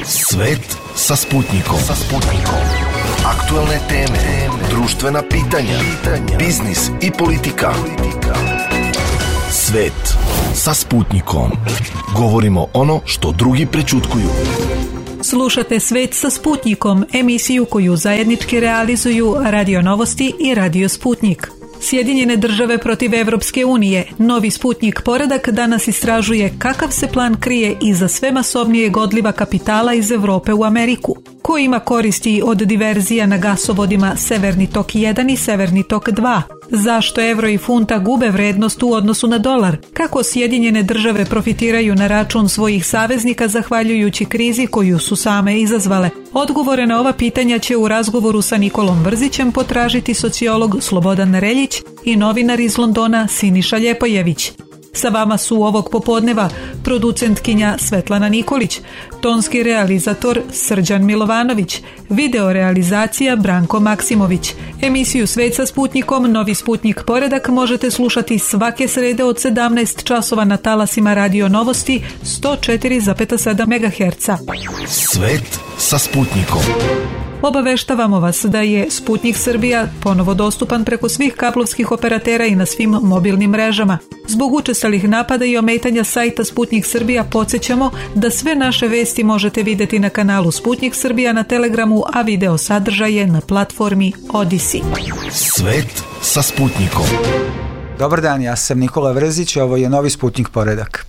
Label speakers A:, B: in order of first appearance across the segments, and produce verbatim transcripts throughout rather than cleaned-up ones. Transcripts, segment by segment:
A: Svet sa Sputnikom. Sa Sputnikom. Aktuelne teme, društvena pitanja, biznis i politika. Svet sa Sputnikom. Govorimo ono što drugi prećutkuju.
B: Slušate Svet sa Sputnikom, emisiju koju zajednički realizuju Radio Novosti i Radio Sputnik. Sjedinjene države protiv Evropske unije. Novi Sputnik Poredak danas istražuje kakav se plan krije iza sve masovnijeg odliva kapitala iz Evrope u Ameriku. Ko ima koristi od diverzija na gasovodima Severni tok jedan i Severni tok dva? Zašto evro i funta gube vrednost u odnosu na dolar? Kako Sjedinjene države profitiraju na račun svojih saveznika zahvaljujući krizi koju su same izazvale? Odgovore na ova pitanja će u razgovoru sa Nikolom Brzićem potražiti sociolog Slobodan Reljić i novinar iz Londona Siniša Ljepojević. Sa vama su ovog popodneva producentkinja Svetlana Nikolić, tonski realizator Srđan Milovanović, video realizacija Branko Maksimović. Emisiju Svet sa Sputnikom, Novi Sputnik Poredak možete slušati svake srede od sedamnaest časova na talasima Radio Novosti sto četiri zarez sedam megaherca.
A: Svet sa Sputnikom.
B: Obaveštavamo vas da je Sputnik Srbija ponovo dostupan preko svih kablovskih operatera i na svim mobilnim mrežama. Zbog učestalih napada i ometanja sajta Sputnik Srbija podsjećamo da sve naše vesti možete vidjeti na kanalu Sputnik Srbija na Telegramu, a video sadržaje na platformi Odisi.
A: Svet sa Sputnikom.
C: Dobar dan, ja sam Nikola Vrzić, ovo je Novi Sputnik Poredak.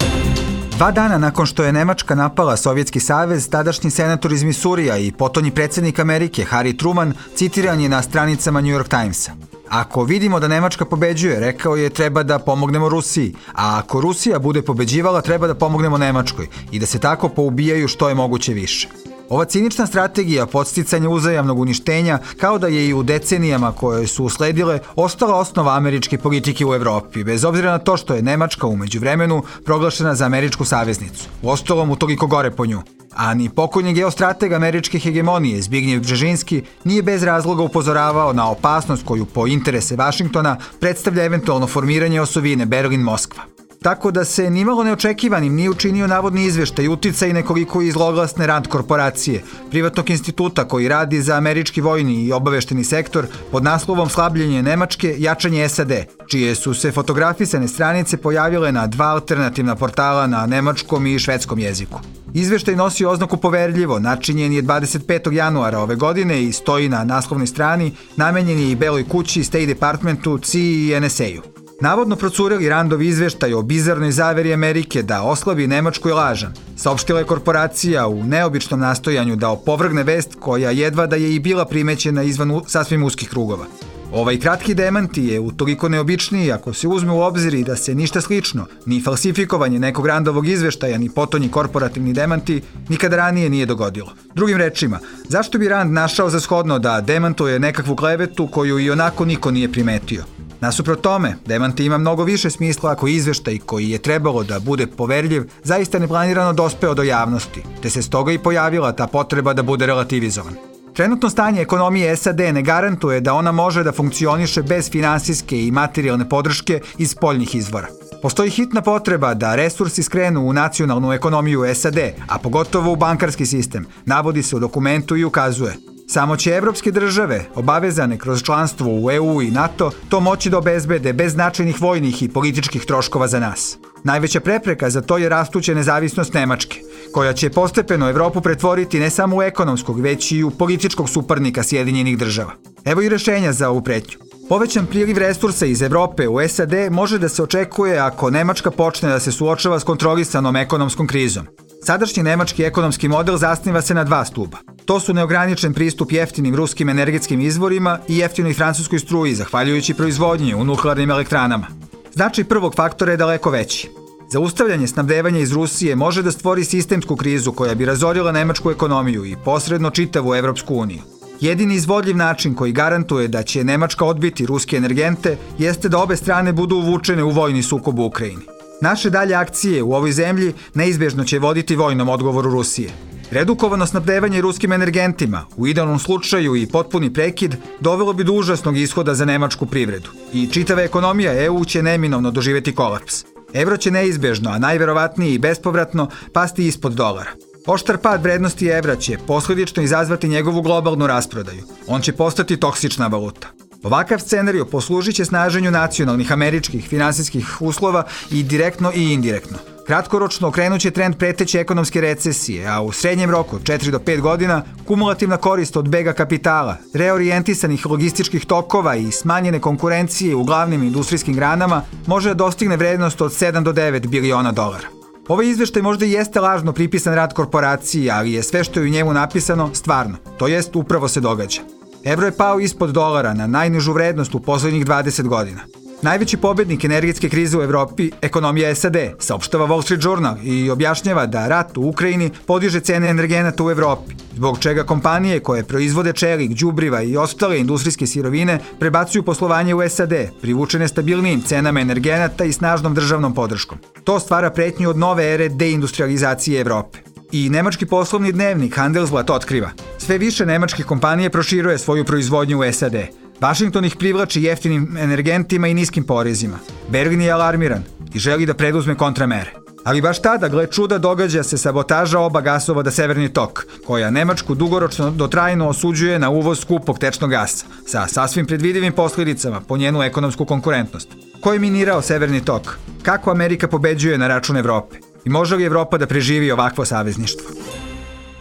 C: Dva dana nakon što je Nemačka napala Sovjetski savez, tadašnji senator iz Misurija i potonji predsjednik Amerike Harry Truman citiran je na stranicama New York Timesa. Ako vidimo da Nemačka pobeđuje, rekao je, treba da pomognemo Rusiji, a ako Rusija bude pobeđivala, treba da pomognemo Nemačkoj i da se tako poubijaju što je moguće više. Ova cinična strategija podsticanja uzajamnog uništenja kao da je i u decenijama koje su usledile ostala osnova američke politike u Evropi, bez obzira na to što je Nemačka u međuvremenu proglašena za američku saveznicu. Uostalom utoliko gore po nju. A ni pokojni geostrateg američke hegemonije Zbignjev Bžežinski nije bez razloga upozoravao na opasnost koju po interese Vašingtona predstavlja eventualno formiranje osovine Berlin-Moskva. Tako da se nimalo neočekivanim nije učinio navodni izveštaj uticaj nekoliko i zloglasne Rand korporacije, privatnog instituta koji radi za američki vojni i obavešteni sektor pod naslovom Slabljenje Nemačke, jačanje S A D, čije su se fotografisane stranice pojavile na dva alternativna portala na nemačkom i švedskom jeziku. Izveštaj nosi oznaku poverljivo, načinjen je dvadeset petog januara ove godine i stoji na naslovnoj strani, namenjen je i Beloj kući, State Departmentu, C I A i N S A-u. Navodno procureli Randov izveštaj o bizarnoj zaveri Amerike da oslabi Nemačku je lažan. Saopštila je korporacija u neobičnom nastojanju da opovrgne vest koja jedva da je i bila primećena izvan sasvim uskih krugova. Ovaj kratki demanti je utoliko neobičniji ako se uzme u obzir i da se ništa slično, ni falsifikovanje nekog Randovog izveštaja, ni potonji korporativni demanti nikada ranije nije dogodilo. Drugim rečima, zašto bi Rand našao za shodno da demantuje nekakvu klevetu koju i onako niko nije primetio? Nasuprot tome, demanti ima mnogo više smisla ako izveštaj koji je trebalo da bude poverljiv zaista neplanirano dospeo do javnosti, te se stoga i pojavila ta potreba da bude relativizovan. Trenutno stanje ekonomije S A D ne garantuje da ona može da funkcioniše bez finansijske i materijalne podrške iz spoljnih izvora. Postoji hitna potreba da resursi skrenu u nacionalnu ekonomiju S A D, a pogotovo u bankarski sistem, navodi se u dokumentu i ukazuje. Samo će evropske države, obavezane kroz članstvo u E U i NATO, to moći da obezbede bez značajnih vojnih i političkih troškova za nas. Najveća prepreka za to je rastuća nezavisnost Nemačke, koja će postepeno Evropu pretvoriti ne samo u ekonomskog, već i u političkog suparnika Sjedinjenih država. Evo i rešenja za ovu pretnju. Povećan priliv resursa iz Evrope u S A D može da se očekuje ako Nemačka počne da se suočava s kontrolisanom ekonomskom krizom. Sadašnji nemački ekonomski model zasniva se na dva stuba. To su neograničen pristup jeftinim ruskim energetskim izvorima i jeftinoj francuskoj struji, zahvaljujući proizvodnji u nuklearnim elektranama. Značaj prvog faktora je daleko veći. Zaustavljanje snabdevanja iz Rusije može da stvori sistemsku krizu koja bi razorila nemačku ekonomiju i posredno čitavu Evropsku uniju. Jedini izvodljiv način koji garantuje da će Nemačka odbiti ruske energente jeste da obe strane budu uvučene u vojni sukob u Ukrajini. Naše dalje akcije u ovoj zemlji neizbježno će voditi vojnom odgovoru Rusije. Redukovano snabdevanje ruskim energentima, u idealnom slučaju i potpuni prekid, dovelo bi do užasnog ishoda za nemačku privredu. I čitava ekonomija E U će neminovno doživjeti kolaps. Evro će neizbježno, a najverovatnije i bespovratno, pasti ispod dolara. Oštar pad vrednosti evra će posljedično izazvati njegovu globalnu rasprodaju. On će postati toksična valuta. Ovakav scenario poslužit će snaženju nacionalnih američkih finansijskih uslova i direktno i indirektno. Kratkoročno okrenut će trend preteće ekonomske recesije, a u srednjem roku, četiri do pet godina, kumulativna korist od bega kapitala, reorijentisanih logističkih tokova i smanjene konkurencije u glavnim industrijskim granama može da dostigne vrednost od sedam do devet biliona dolara. Ovaj izveštaj možda i jeste lažno pripisan rad korporaciji, ali je sve što je u njemu napisano stvarno, to jest upravo se događa. Evro je pao ispod dolara na najnižu vrednost u poslednjih dvadeset godina. Najveći pobednik energetske krize u Evropi, ekonomija S A D, saopštava Wall Street Journal i objašnjava da rat u Ukrajini podiže cene energenata u Evropi, zbog čega kompanije koje proizvode čelik, đubriva i ostale industrijske sirovine prebacuju poslovanje u S A D, privučene stabilnijim cenama energenata i snažnom državnom podrškom. To stvara pretnju od nove ere deindustrializacije Evrope. I nemački poslovni dnevnik Handelsblatt otkriva. Sve više nemačkih kompanije proširuje svoju proizvodnju u S A D. Washington ih privlači jeftinim energentima i niskim porezima. Berlin je alarmiran i želi da preduzme kontramere. Ali baš tada, gle čuda, događa se sabotaža oba gasovoda Severni tok, koja Nemačku dugoročno do trajno osuđuje na uvoz skupog tečnog gasa, sa sasvim predvidivim posljedicama po njenu ekonomsku konkurentnost. Ko je minirao Severni tok? Kako Amerika pobeđuje na račun Evrope? I može li Evropa da preživi ovakvo savezništvo?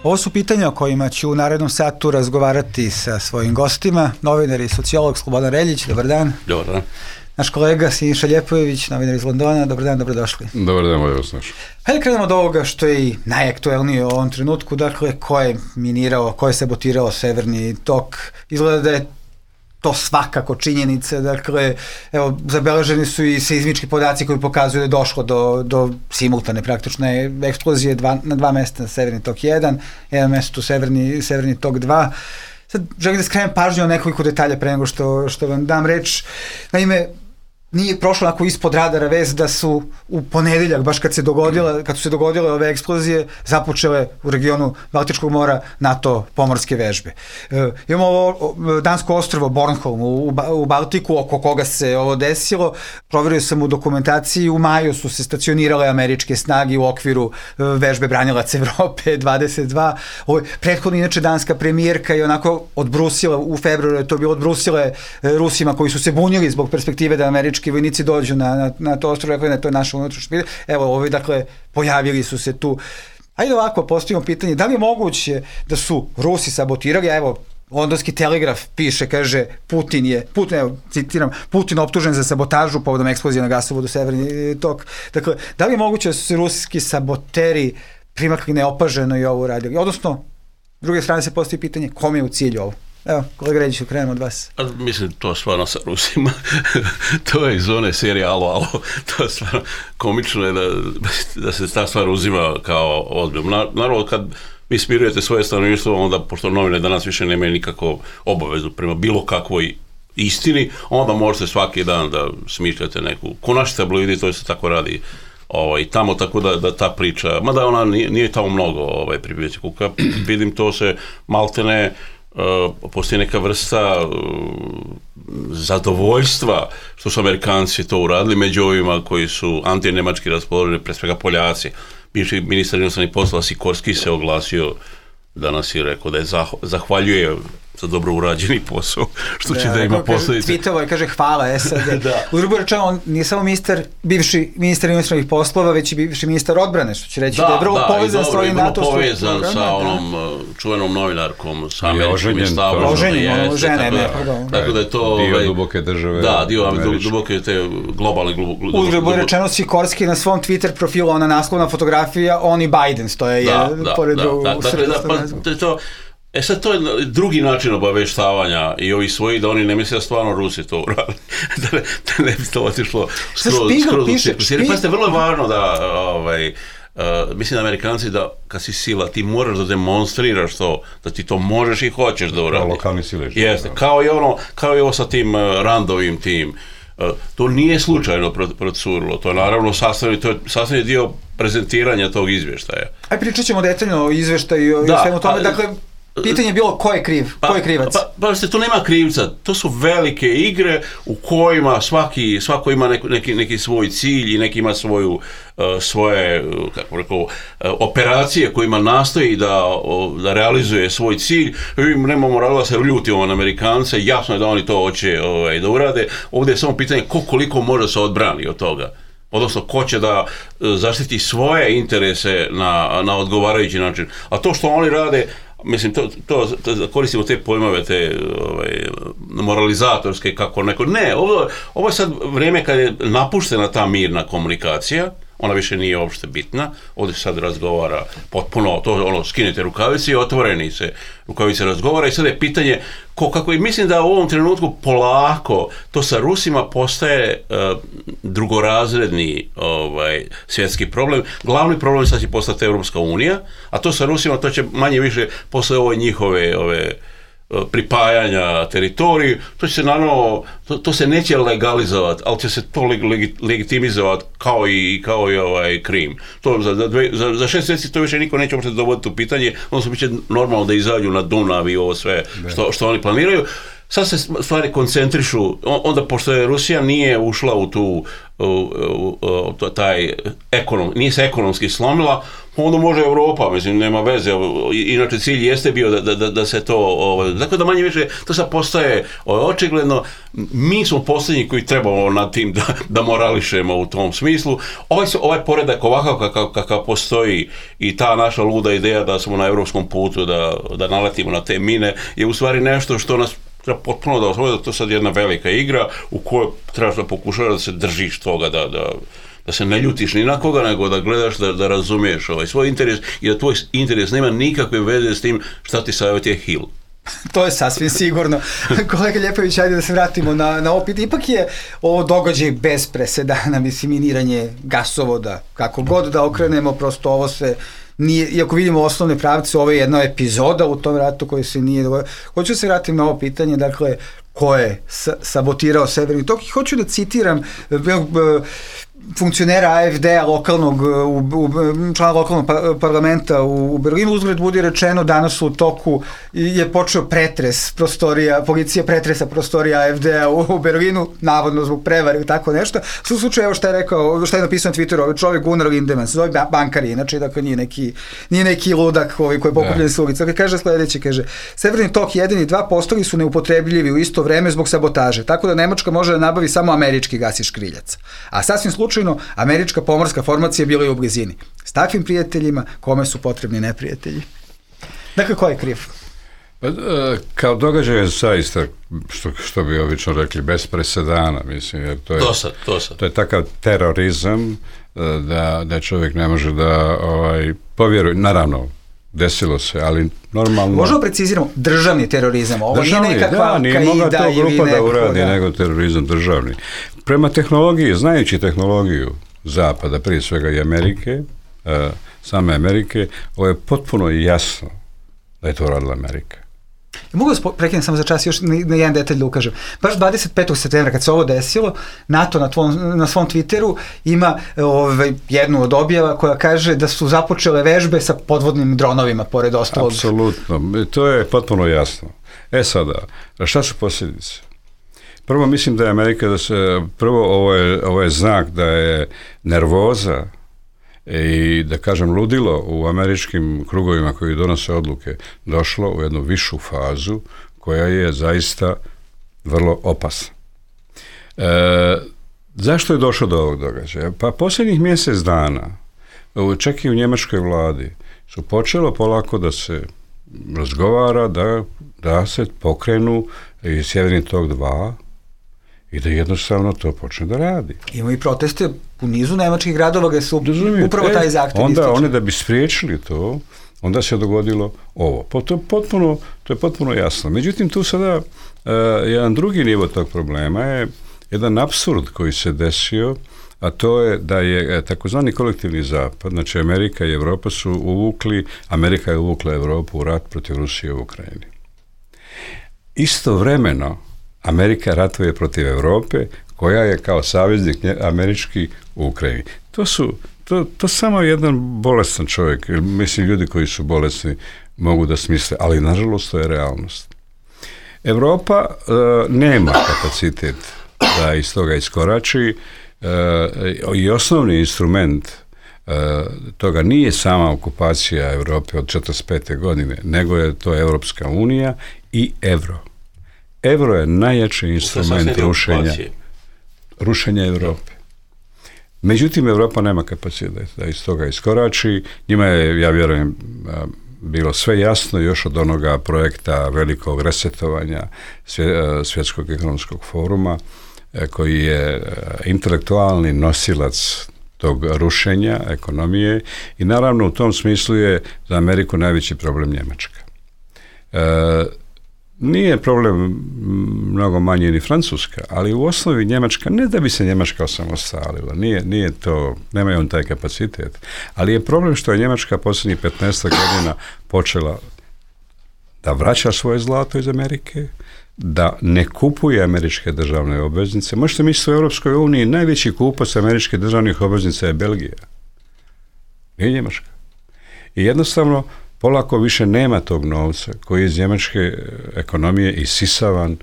C: Ovo su pitanja o kojima ću u narednom satu razgovarati sa svojim gostima, novinar i sociolog Slobodan Reljić, dobar dan.
D: Dobar dan.
C: Naš kolega Siniša Ljepojević, novinar iz Londona, dobar dan, dobrodošli.
D: Dobar dan, bolje vas našao.
C: Hajde krenemo od ovoga što je i najaktuelnije u ovom trenutku, dakle, ko je minirao, ko je sabotirao Severni tok. Izgleda da je to svakako činjenica, dakle, evo, zabeleženi su i seizmički podaci koji pokazuju da je došlo do, do simultane praktične eksplozije dva, na dva mesta, Severni tok jedan, jedan mesto Severni, Severni tok dva. Sad želim da skrenem pažnju o nekoliko detalja pre nego što, što vam dam reč. Naime, nije prošlo onako ispod radara vez da su u ponedeljak, baš kad se dogodila, kad su se dogodile ove eksplozije, započele u regionu Baltičkog mora NATO pomorske vežbe. E, imamo ovo dansko ostrvo Bornholm u, u Baltiku, oko koga se ovo desilo. Proverio sam u dokumentaciji, u maju su se stacionirale američke snage u okviru vežbe Branilac Evrope dvadeset dva. Ovo, prethodno inače danska premijerka je onako odbrusila, u februaru je to bilo odbrusile Rusima koji su se bunili zbog perspektive da američki vojnici dođu na, na, na to ostrvo, rekli da to je naša unutrašnja. Evo, ovi, dakle, pojavili su se tu. Ajde ovako, postavimo pitanje, da li je moguće da su Rusi sabotirali, a evo, Londonski telegraf piše, kaže, Putin je, Putin, evo, citiram, Putin optužen za sabotažu povodom eksplozije na gasovodu Severni tok. Dakle, da li je moguće da su se ruski saboteri primakli neopaženo i ovo radili? Odnosno, s druge strane se postavi pitanje, kom je u cilju ovo? Evo, kolega Reljiću, krenemo od vas.
D: A, mislim, to stvarno sa Rusima, to je iz one serije Alo, Alo, to je stvarno komično je da, da se ta stvar uzima kao ozbiljno. Na, naravno, kad vi smirujete svoje stanovništvo, onda, pošto novine danas više nemaju nikakvu obavezu prema bilo kakvoj istini, onda možete svaki dan da smišljate neku, ko naši tabloidi, to se tako radi ovaj, tamo, tako da, da ta priča, mada ona nije, nije tamo mnogo ovaj, pribijeti kuka, vidim to se maltene, Uh, postoji neka vrsta uh, zadovoljstva što su Amerikanci to uradili među ovima koji su antinemački raspoloženi, pre svega Poljaci. Bivši ministar inostranih poslova Sikorski se oglasio danas i rekao da je zah- zahvaljuje za dobro urađeni posao, što će da, da ima posljedice.
C: Tweetovo je, kaže, hvala S A D. Da. U drugo rečeno, on nije samo ministar, bivši ministar inostranih poslova, već i bivši ministar odbrane, što će reći da, da je vrlo da, povezan s ovim NATO. Da, i
D: povezan sa da. onom čuvenom novinarkom, sa američkom
C: i stavljom. Oženjen, ono žene, ne, pardon.
D: Tako da je to...
E: Dio duboke države.
D: Da, dio duboke te globalne...
C: U drugo rečeno, Sikorski na svom Twitter profilu, ona naslovna fotografija, on i Biden stoje pored drugog.
D: E sad, to je drugi način obaveštavanja i ovih svojih, da oni ne misle da stvarno Rusi to uradili, da, ne, da ne bi to otišlo skroz, skroz u cirkus. Jer pazite, vrlo je važno da, ovaj, uh, mislim da Amerikanci da kad si sila, ti moraš da demonstriraš to, da ti to možeš i hoćeš da uradi.
E: Kao lokalni silež.
D: Jeste, kao i ono, kao i ovo sa tim uh, Randovim tim. Uh, to nije slučajno procurilo, to je naravno sastavni, to je sastavni dio prezentiranja tog izvještaja.
C: Aj, pričat ćemo detaljno o izvještaju i o svemu tome, dakle, Pitanje je bilo ko je kriv,
D: pa,
C: ko je krivac.
D: Pa, pa, pa tu nema krivca, to su velike igre u kojima svaki, svako ima neki, neki, neki svoj cilj i neki ima svoju, uh, svoje kako rekao, uh, operacije kojima nastoji da, uh, da realizuje svoj cilj. Mi nemamo razloga da se ljutimo na Amerikance, jasno je da oni to hoće ovaj, da urade. Ovdje je samo pitanje ko koliko može se odbrani od toga. Odnosno, ko će da zaštiti svoje interese na, na odgovarajući način. A to što oni rade, mislim, to, to, to koristimo te pojmove, te ovaj, moralizatorske, kako neko... Ne, ovo, ovo je sad vrijeme kad je napuštena ta mirna komunikacija, ona više nije uopšte bitna, ovdje sad razgovara potpuno, to ono, skinete rukavice i otvoreni se rukavice razgovara i sad je pitanje ko, kako, i mislim da u ovom trenutku polako to sa Rusima postaje uh, drugorazredni ovaj, svjetski problem. Glavni problem sad će postati Europska unija, a to sa Rusima to će manje više posle ove njihove ove, pripajanja teritoriju, to će se naravno, to, to se neće legalizovati, ali će se to leg, leg, legitimizovati kao i, kao i ovaj Krim. To za, za, dve, za, za šest mjeseci to više niko neće uopšte dovoditi u pitanje, odnosno bit će normalno da izađu na Dunav i ovo sve što, što oni planiraju. Sad se stvari koncentrišu, onda pošto je Rusija nije ušla u tu, u, u, u, taj ekonom, nije se ekonomski slomila, onda može Europa, mislim, nema veze, inače cilj jeste bio da, da, da se to, ovaj, dakle da manje više, to sad postaje ovaj, očigledno, mi smo posljednji koji trebamo nad tim da, da morališemo u tom smislu. Ovaj, ovaj poredak ovakav kakav, kakav postoji i ta naša luda ideja da smo na europskom putu, da, da naletimo na te mine, je u stvari nešto što nas treba potpuno da osvoje, da to sad jedna velika igra u kojoj trebaš da pokušaš da se držiš toga, da, da, da se ne ljutiš ni na koga, nego da gledaš, da, da razumiješ ovaj svoj interes i da tvoj interes nema nikakve veze s tim šta ti savjetuje Hill.
C: To je sasvim sigurno. Kolega Ljepović, ajde da se vratimo na, na opet. Ipak je ovo događaj bez presedana, mislim, miniranje gasovoda, kako god da okrenemo, prosto ovo se nije, iako vidimo osnovne pravce, ovo je jedna epizoda u tom ratu koji se nije dogodio. Hoću se vratiti na ovo pitanje, dakle, ko je sabotirao Severni tok i hoću da citiram funkcionera A F D-a lokalnog, člana lokalnog parlamenta u Berlinu. Uzgled budi rečeno, danas u toku je počeo pretres prostorija, policija pretresa prostorija A F D-a u Berlinu, navodno zbog prevare i tako nešto. U slučaju, evo šta je rekao, šta je napisao na Twitteru, ovaj čovjek Gunnar Lindemann, se zove bankar, inače, dakle, nije neki, nije neki ludak ovaj, koji je pokupljen s ulica. Dakle, kaže sledeće, kaže, Severni tok jedan i dva postali su neupotrebljivi u isto vreme zbog sabotaže, tako da Nemačka može da nabavi samo američki gas i škriljac. A sasvim slučajno, američka pomorska formacija bila je u blizini. S takvim prijateljima, kome su potrebni neprijatelji? Dakle, ko je kriv?
E: Kao događaj je zaista, što, što bi obično rekli, bez presedana, mislim, jer to je,
D: to sad, to sad.
E: To je takav terorizam da, da čovjek ne može da ovaj, povjeruje, naravno, desilo se, ali normalno...
C: Možemo preciziramo, državni terorizam, ovo
E: državni,
C: nije nekakva
E: da, nije mogla to grupa da uradi,
C: da.
E: nego terorizam državni. Prema tehnologiji, znajući tehnologiju Zapada, prije svega i Amerike, uh, same Amerike, ovo je potpuno jasno da je to radila Amerika.
C: Mogu da prekinem samo za čas još na jedan detalj da ukažem. Baš dvadeset petog septembra kad se ovo desilo, NATO na, tvom, na svom Twitteru ima ovaj, jednu od objava koja kaže da su započele vežbe sa podvodnim dronovima pored ostalog.
E: Apsolutno, to je potpuno jasno. E sada, šta su posljedice? Prvo mislim da je Amerika, da se, prvo ovo je, ovo je znak da je nervoza i da kažem ludilo u američkim krugovima koji donose odluke došlo u jednu višu fazu koja je zaista vrlo opasna. E, zašto je došlo do ovog događaja? Pa posljednjih mjesec dana, čak i u njemačkoj vladi, su počelo polako da se razgovara da, da se pokrenu i Sjeverni tok dva i da jednostavno to počne da radi.
C: Imamo i proteste u nizu nemačkih gradova gdje su Dozumite, upravo taj zahtjev.
E: Onda one da bi spriječili to, onda se dogodilo ovo. Po, to, je potpuno, to je potpuno jasno. Međutim, tu sada uh, jedan drugi nivo tog problema je jedan apsurd koji se desio, a to je da je takozvani kolektivni zapad, znači Amerika i Evropa su uvukli, Amerika je uvukla Evropu u rat protiv Rusije u Ukrajini. Istovremeno, Amerika ratuje protiv Europe, koja je kao saveznik američki u Ukrajini. To su, to, to samo jedan bolestan čovjek, mislim ljudi koji su bolesni mogu da smisle, ali nažalost to je realnost. Europa uh, nema kapacitet da iz toga iskorači uh, i osnovni instrument uh, toga nije sama okupacija Europe od četrdeset pete godine, nego je to Europska unija i euro. Euro je najjači instrument rušenja, rušenja Europe. Međutim, Europa nema kapacitet da iz toga iskorači. Njima je, ja vjerujem, bilo sve jasno još od onoga projekta velikog resetovanja Svjetskog ekonomskog foruma, koji je intelektualni nosilac tog rušenja ekonomije i naravno u tom smislu je za Ameriku najveći problem Njemačka. E, nije problem mnogo manje ni Francuska, ali u osnovi Njemačka, ne da bi se Njemačka osamostalila, nije, nije to, nema on taj kapacitet, ali je problem što je Njemačka posljednjih petnaest godina počela da vraća svoje zlato iz Amerike, da ne kupuje američke državne obveznice. Možete misliti u Europskoj uniji najveći kupac američkih državnih obveznica je Belgija. Nije Njemačka. I jednostavno polako više nema tog novca koji je iz njemačke ekonomije isisavan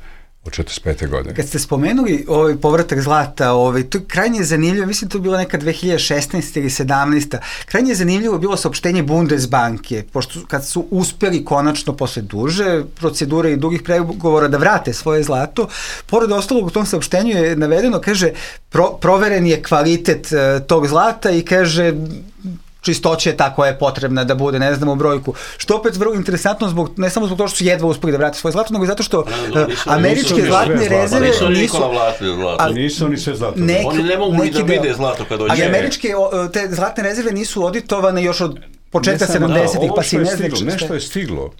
E: od četrdeset pete godine.
C: Kad ste spomenuli ovaj povratak zlata, ovaj, to je krajnje zanimljivo, mislim to je bilo neka dve hiljade šesnaeste ili sedamnaeste. Krajnje zanimljivo je bilo saopštenje Bundesbanke, pošto kad su uspeli konačno posle duže procedure i dugih pregovora da vrate svoje zlato, pored ostalog u tom saopštenju je navedeno, kaže, pro, proveren je kvalitet uh, tog zlata i kaže čistoća je ta koja je potrebna da bude, ne znamo brojku. Što opet vrlo interesantno, zbog, ne samo zbog toga što su jedva uspeli da vrate svoje zlato, nego zato što no, nisu, američke nisu, zlatne rezerve
D: nisu... Nisu zlato.
E: Nisu oni sve zlato.
D: Neki, oni ne mogu ni da vide zlato kad dođe.
C: Ali američke te zlatne rezerve nisu auditovane još od početka sedamdesetih, pa si ne znači.
E: Nešto je stiglo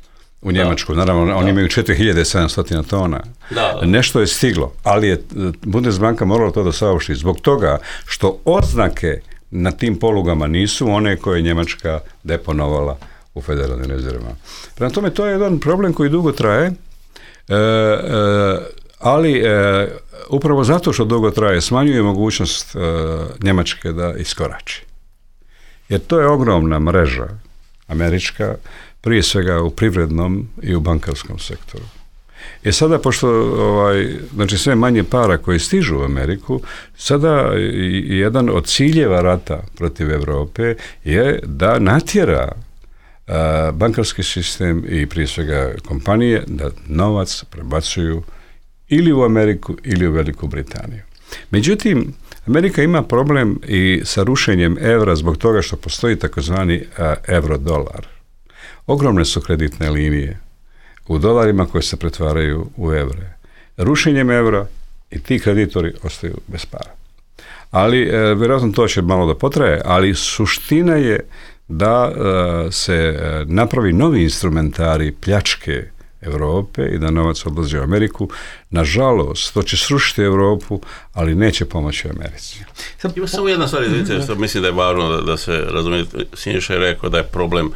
E: u Njemačku, naravno, da. Oni imaju četiri hiljade sedamsto tona.
D: Da, da.
E: Nešto je stiglo, ali je Bundesbanka morala to da saopšti zbog toga što oznake na tim polugama nisu one koje je Njemačka deponovala u federalnim rezervama. Prema tome, to je jedan problem koji dugo traje, e, e, ali e, upravo zato što dugo traje smanjuje mogućnost e, Njemačke da iskorači. Jer to je ogromna mreža američka, prije svega u privrednom i u bankarskom sektoru. I sada, pošto ovaj, znači sve manje para koji stižu u Ameriku, sada i jedan od ciljeva rata protiv Europe je da natjera a, bankarski sistem i prije svega kompanije da novac prebacuju ili u Ameriku ili u Veliku Britaniju. Međutim, Amerika ima problem i sa rušenjem evra zbog toga što postoji takozvani euro-dolar. Ogromne su kreditne linije u dolarima koje se pretvaraju u evre. Rušenjem evra i ti kreditori ostaju bez para. Ali, e, vjerojatno to će malo da potraje, ali suština je da e, se e, napravi novi instrumentari pljačke Europe i da novac odlazi u Ameriku. Nažalost, to će srušiti Europu, ali neće pomoći Americi.
D: Ima samo jedna stvar, izvijete, što mislim da je važno da, da se razumije. Siniša je rekao da je problem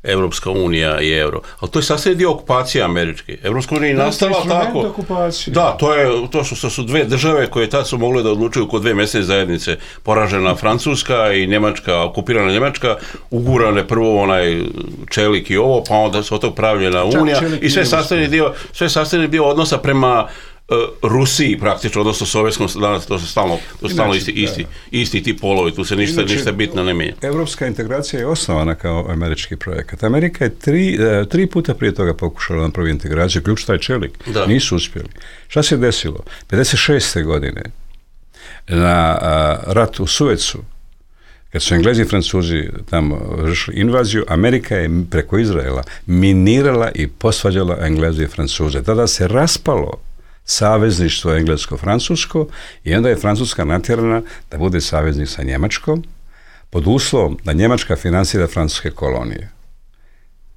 D: Evropska unija i euro. Ali to je sasvim dio okupacije američke. Evropska unija je nastala tako.
E: Okupacije.
D: Da, to je to što su dve države koje tad su mogle da odlučuju kod dve mesne zajednice. Poražena Francuska i Njemačka, okupirana Njemačka, ugurane prvo onaj čelik i ovo, pa onda se od tog pravljena unija i sve sastavni dio, sve sastavni dio odnosa prema Uh, Rusiji praktično, odnosno sovjetskom, danas to se stalno, to stalno isti, isti, isti ti polovi, tu se ništa, ništa bitno ne mijenja.
E: Evropska integracija je osnovana kao američki projekat. Amerika je tri, tri puta prije toga pokušala na prvi integraciju, ključ taj čelik. Da. Nisu uspjeli. Šta se desilo? pedeset šeste godine na a, rat u Suecu, kad su Englezi i Francuzi tamo vršili invaziju, Amerika je preko Izraela minirala i posvađala Engleze i Francuze. Tada se raspalo savezništvo englesko-francusko i onda je Francuska natjerana da bude saveznik sa Njemačkom pod uslovom da Njemačka finansira francuske kolonije.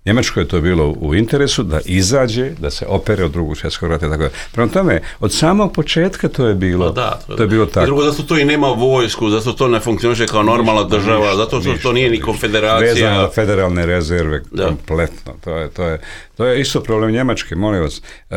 E: Njemačkoj je to bilo u interesu da izađe, da se opere od drugog svjetskog rata. Tako da. Prema tome, od samog početka to je bilo, no da, to, to je bilo tako. I
D: drugo, zato to i nema vojsku, zato to ne funkcioniše kao normalna ništa, država, ništa, zato što ništa, to nije ni konfederacija.
E: Vezano na federalne rezerve, da. Kompletno. To je, to, je, to je isto problem Njemačke, molim vas. Uh,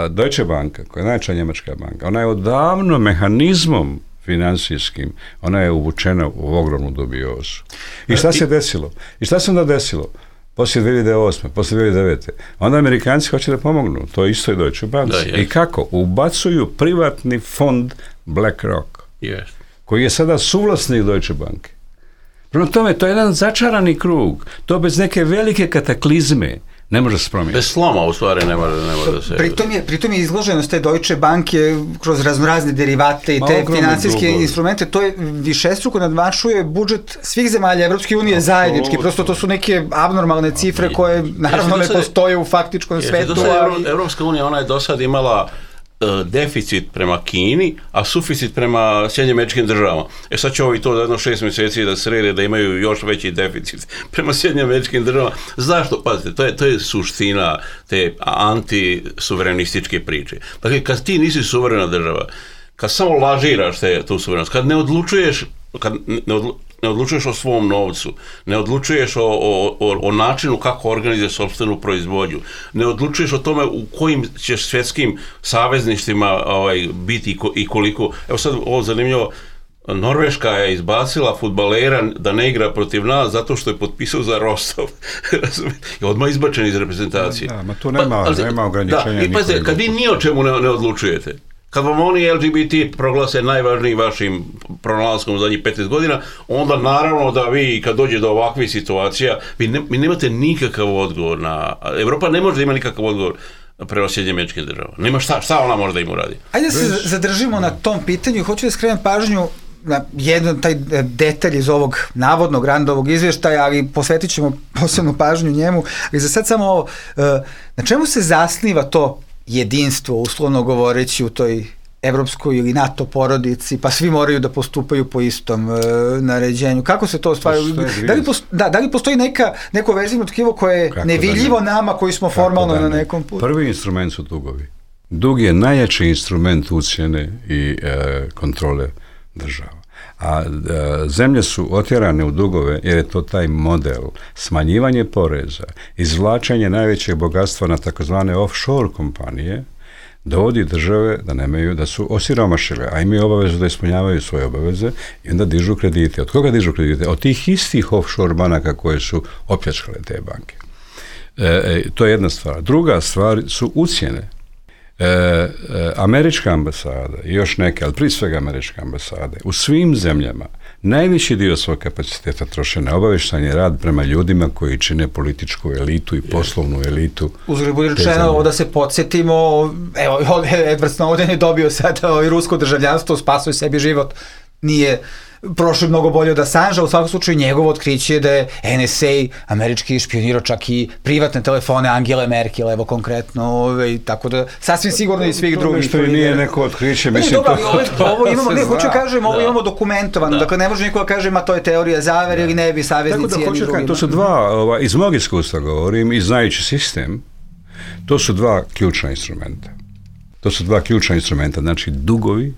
E: Deutsche Banka, koja je najjača njemačka banka, ona je odavno mehanizmom financijskim, ona je uvučena u ogromnu dubiozu. I šta se desilo? I šta se onda desilo? poslije dvije hiljade osme, poslije dvije hiljade devete. Onda Amerikanci hoće da pomognu, to isto je Deutsche Bank. I kako? Ubacuju privatni fond BlackRock,
D: yes.
E: koji je sada suvlasnik Deutsche Banke. Prema tome, to je jedan začarani krug. To bez neke velike kataklizme ne može se promijeniti.
D: Bez sloma, u stvari, ne može, ne može da se...
C: Pritom je, pritom je izloženost te Deutsche Banke kroz raznorazne derivate i te financijske instrumente, to je višestruko nadmašuje budžet svih zemalja Evropske unije zajednički. Prosto to su neke abnormalne cifre koje naravno ne postoje u faktičkom svetu.
D: Ali... Evropska unija, ona je do sad imala deficit prema Kini, a suficit prema Sjedinjenim Američkim Državama. E sad će ovi to za jedno šest mjeseci da srede da imaju još veći deficit prema Sjedinjenim Američkim Državama. Zašto? Pazite, to je, to je suština te antisuverenističke priče. Dakle, kad ti nisi suverena država, kad samo lažiraš te, tu suverenost, kad ne odlučuješ, kad ne odlučuješ ne odlučuješ o svom novcu, ne odlučuješ o, o, o, o načinu kako organizuje sopstvenu proizvodnju, ne odlučuješ o tome u kojim ćeš svjetskim savezništvima ovaj, biti i, ko, i koliko. Evo sad ovo zanimljivo, Norveška je izbacila fudbalera da ne igra protiv nas zato što je potpisao za Rostov. I odmah izbačen iz reprezentacije.
E: Da, ma tu nema, pa, nema ograničenja.
D: Da, i pazite, kad vi ni o čemu ne, ne odlučujete, kad vam oni L G B T proglase najvažnijim vašim pronalaskom u zadnjih petnaest godina, onda naravno da vi kad dođe do ovakvih situacija, vi, ne, vi nemate nikakav odgovor na... Evropa ne može da ima nikakav odgovor prema Sjedinjenim Američkim Državama. Nema šta, šta ona može da im uradi.
C: Ajde da se zadržimo na tom pitanju. Hoću da skrenem pažnju na jedan taj detalj iz ovog navodnog randovog izvještaja, ali posvetit ćemo posebnu pažnju njemu. Ali za sad samo ovo, na čemu se zasniva to jedinstvo, uslovno govoreći, u toj evropskoj ili NATO porodici, pa svi moraju da postupaju po istom e, naređenju. Kako se to ostvaruje? Da li, posto, da, da li postoji neka, neko vezivno tkivo koje je Kako nevidljivo da ne? nama koji smo Kako formalno da ne? na nekom putu?
E: Prvi instrument su dugovi. Dug je najjači instrument ucjene i e, kontrole država. A e, zemlje su otjerane u dugove jer je to taj model smanjivanje poreza, izvlačenje najvećeg bogatstva na takozvane offshore kompanije, dovodi države da nemaju, da su osiromašile, a imaju obavezu da ispunjavaju svoje obaveze i onda dižu kredite. Od koga dižu kredite? Od tih istih offshore banaka koje su opljačkale te banke. E, to je jedna stvar. Druga stvar su ucjene. E, e, američka ambasada i još neke, ali prije svega američke ambasade, u svim zemljama najviši dio svog kapaciteta troše na obavještajni rad prema ljudima koji čine političku elitu i poslovnu elitu.
C: Uzgled bude rečeno, ovo da se podsjetimo, evo, Edward Snowden je dobio sada ovaj rusko državljanstvo, spasuje sebi život, nije prošlo mnogo bolje od Assangea, u svakom slučaju njegovo otkriće je da je N S A američki špionirao čak i privatne telefone Angele Merkel, evo konkretno, ovaj, tako da sasvim sigurno i svih drugih.
E: Što i nije neko otkriće, mislim
C: ne, dobro, to... Ovo, ovo imamo, ne, hoću kažem, ovo da. imamo dokumentovano, da. dakle ne može niko da kaže, ma to je teorija zavere ili ne bi saveznici
E: jedni
C: drugima.
E: Tako da, to su dva, ova, iz mog iskustva govorim, i znajući sistem, to su dva ključna instrumenta. To su dva ključna instrumenta, znači dugovi,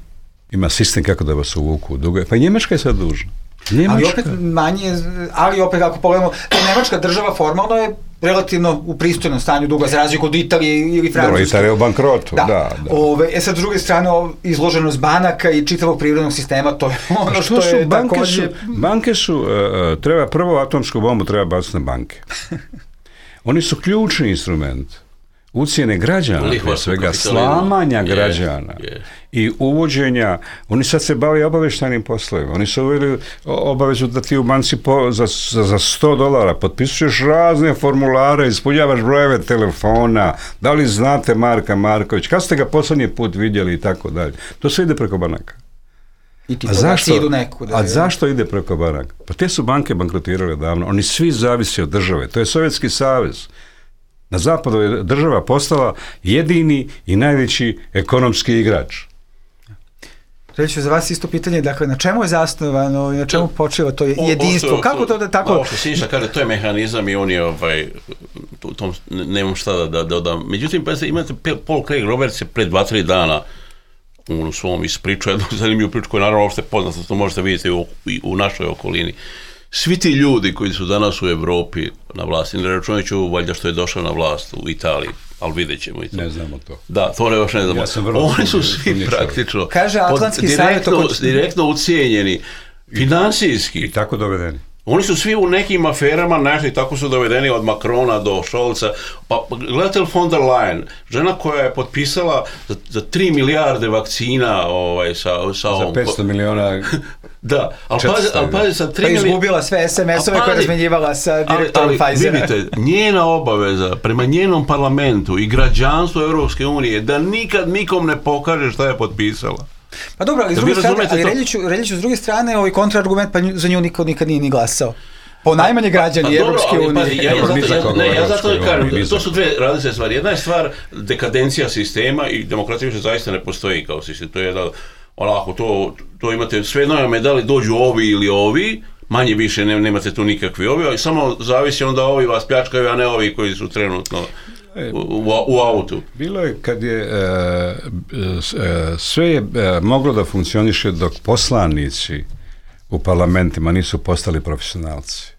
E: ima sistem kako da vas uvuku u dugove. Pa i Njemačka je sad dužna. Njemačka.
C: Ali opet manje, ali opet ako pogledamo, Njemačka država formalno je relativno u pristojnom stanju duga, za razliku od Italije ili Francuske.
E: Dobro, Italija je u bankrotu, da. da, da.
C: Ove, e sad, s druge strane, izloženost banaka i čitavog privrednog sistema, to je ono što, što je
E: banke
C: također...
E: Su, banke su, uh, treba prvo atomsku bombu, treba baciti na banke. Oni su ključni instrument ucijene građana, prije svega slamanja građana yeah, yeah. i uvođenja, oni sad se bave obavještajnim poslovima, oni su uveli obavezu da ti u banci po, za, za, za sto dolara potpisuješ razne formulare, ispunjavaš brojeve telefona, da li znate Marka Marković, kad ste ga posljednji put vidjeli i tako dalje. To sve ide preko banaka.
C: I ti a zašto, idu neku, da
E: a zašto ide preko banaka? Pa te su banke bankrotirale davno, oni svi zavise od države, to je Sovjetski savez. Na zapadu je država postala jedini i najveći ekonomski igrač.
C: Reći za vas isto pitanje, dakle, na čemu je zasnovano i na čemu počiva to jedinstvo?
D: O,
C: Kako to da tako...
D: Ovo što Siniša kaže, to je mehanizam i on je, ovaj, u tom, nemam šta da, da dodam. Međutim, pa imate Paul Craig Roberts je pred dva, tri dana u svom ispriču, jednu zanimljivu priču koju naravno uopšte poznata, to možete vidjeti u, u našoj okolini. Svi ti ljudi koji su danas u Evropi na vlasti, ne računajući valjda što je došao na vlast u Italiji, ali vidjet ćemo i to.
E: Ne znamo to.
D: Da, to ne još ne znamo. Ja Oni su svi praktično
C: Kaže Atlantski
D: direktno, savjet oko... direktno ucijenjeni, finansijski.
E: I tako dovedeni.
D: Oni su svi u nekim aferama našli, tako su dovedeni od Macrona do Scholza. Pa gledate li von der Leyen, žena koja je potpisala za, za tri milijarde vakcina ovaj, sa, sa ovom...
E: Za petsto miliona...
D: Da, ali pazi, ali pazi sa tri
C: pa
D: milijarde...
C: Pa izgubila sve es em esove koje je razmenjivala sa direktorom Pfizera.
D: Vidite, njena obaveza prema njenom parlamentu i građanstvu Europske unije da nikad nikom ne pokaže šta je potpisala.
C: Pa dobro, ali, s druge strane, ali Reljiću, Reljiću s druge strane ovaj kontraargument, pa za nju niko nikad nije ni glasao. Po najmanje građani Evropske unije.
D: Ja, ja, zato, ja, ja zato kažem, to su dve različite stvari. Jedna je stvar dekadencija sistema i demokratija više zaista ne postoji kao sistem. To je da, onako, to, to imate sve nove medali, dođu ovi ili ovi, manje više ne, nemate tu nikakvi ovi, ali samo zavisi onda ovi vas pljačkaju, a ne ovi koji su trenutno u, u, u autu.
E: Bilo je kad je e, e, sve je e, moglo da funkcioniše dok poslanici u parlamentima nisu postali profesionalci.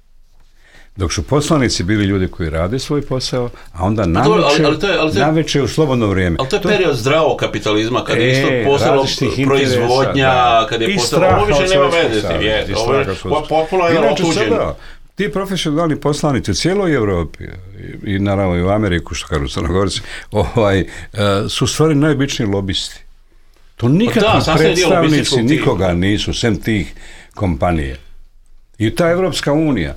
E: Dok su poslanici bili ljudi koji rade svoj posao, a onda naveče u slobodno vrijeme.
D: Ali to je period zdravog kapitalizma, kad je isto postalo proizvodnja, da. Kad je postalo, ovo više nema veze. Ovo je potpuno je otuđeno.
E: Ti profesionalni poslanici u cijeloj Evropi i, i naravno i u Ameriku, što kažu Crnogorci, ovaj, su stvari najobičniji lobisti. To nikakvi da, predstavnici nikoga nisu, sem tih kompanije. I ta Evropska unija,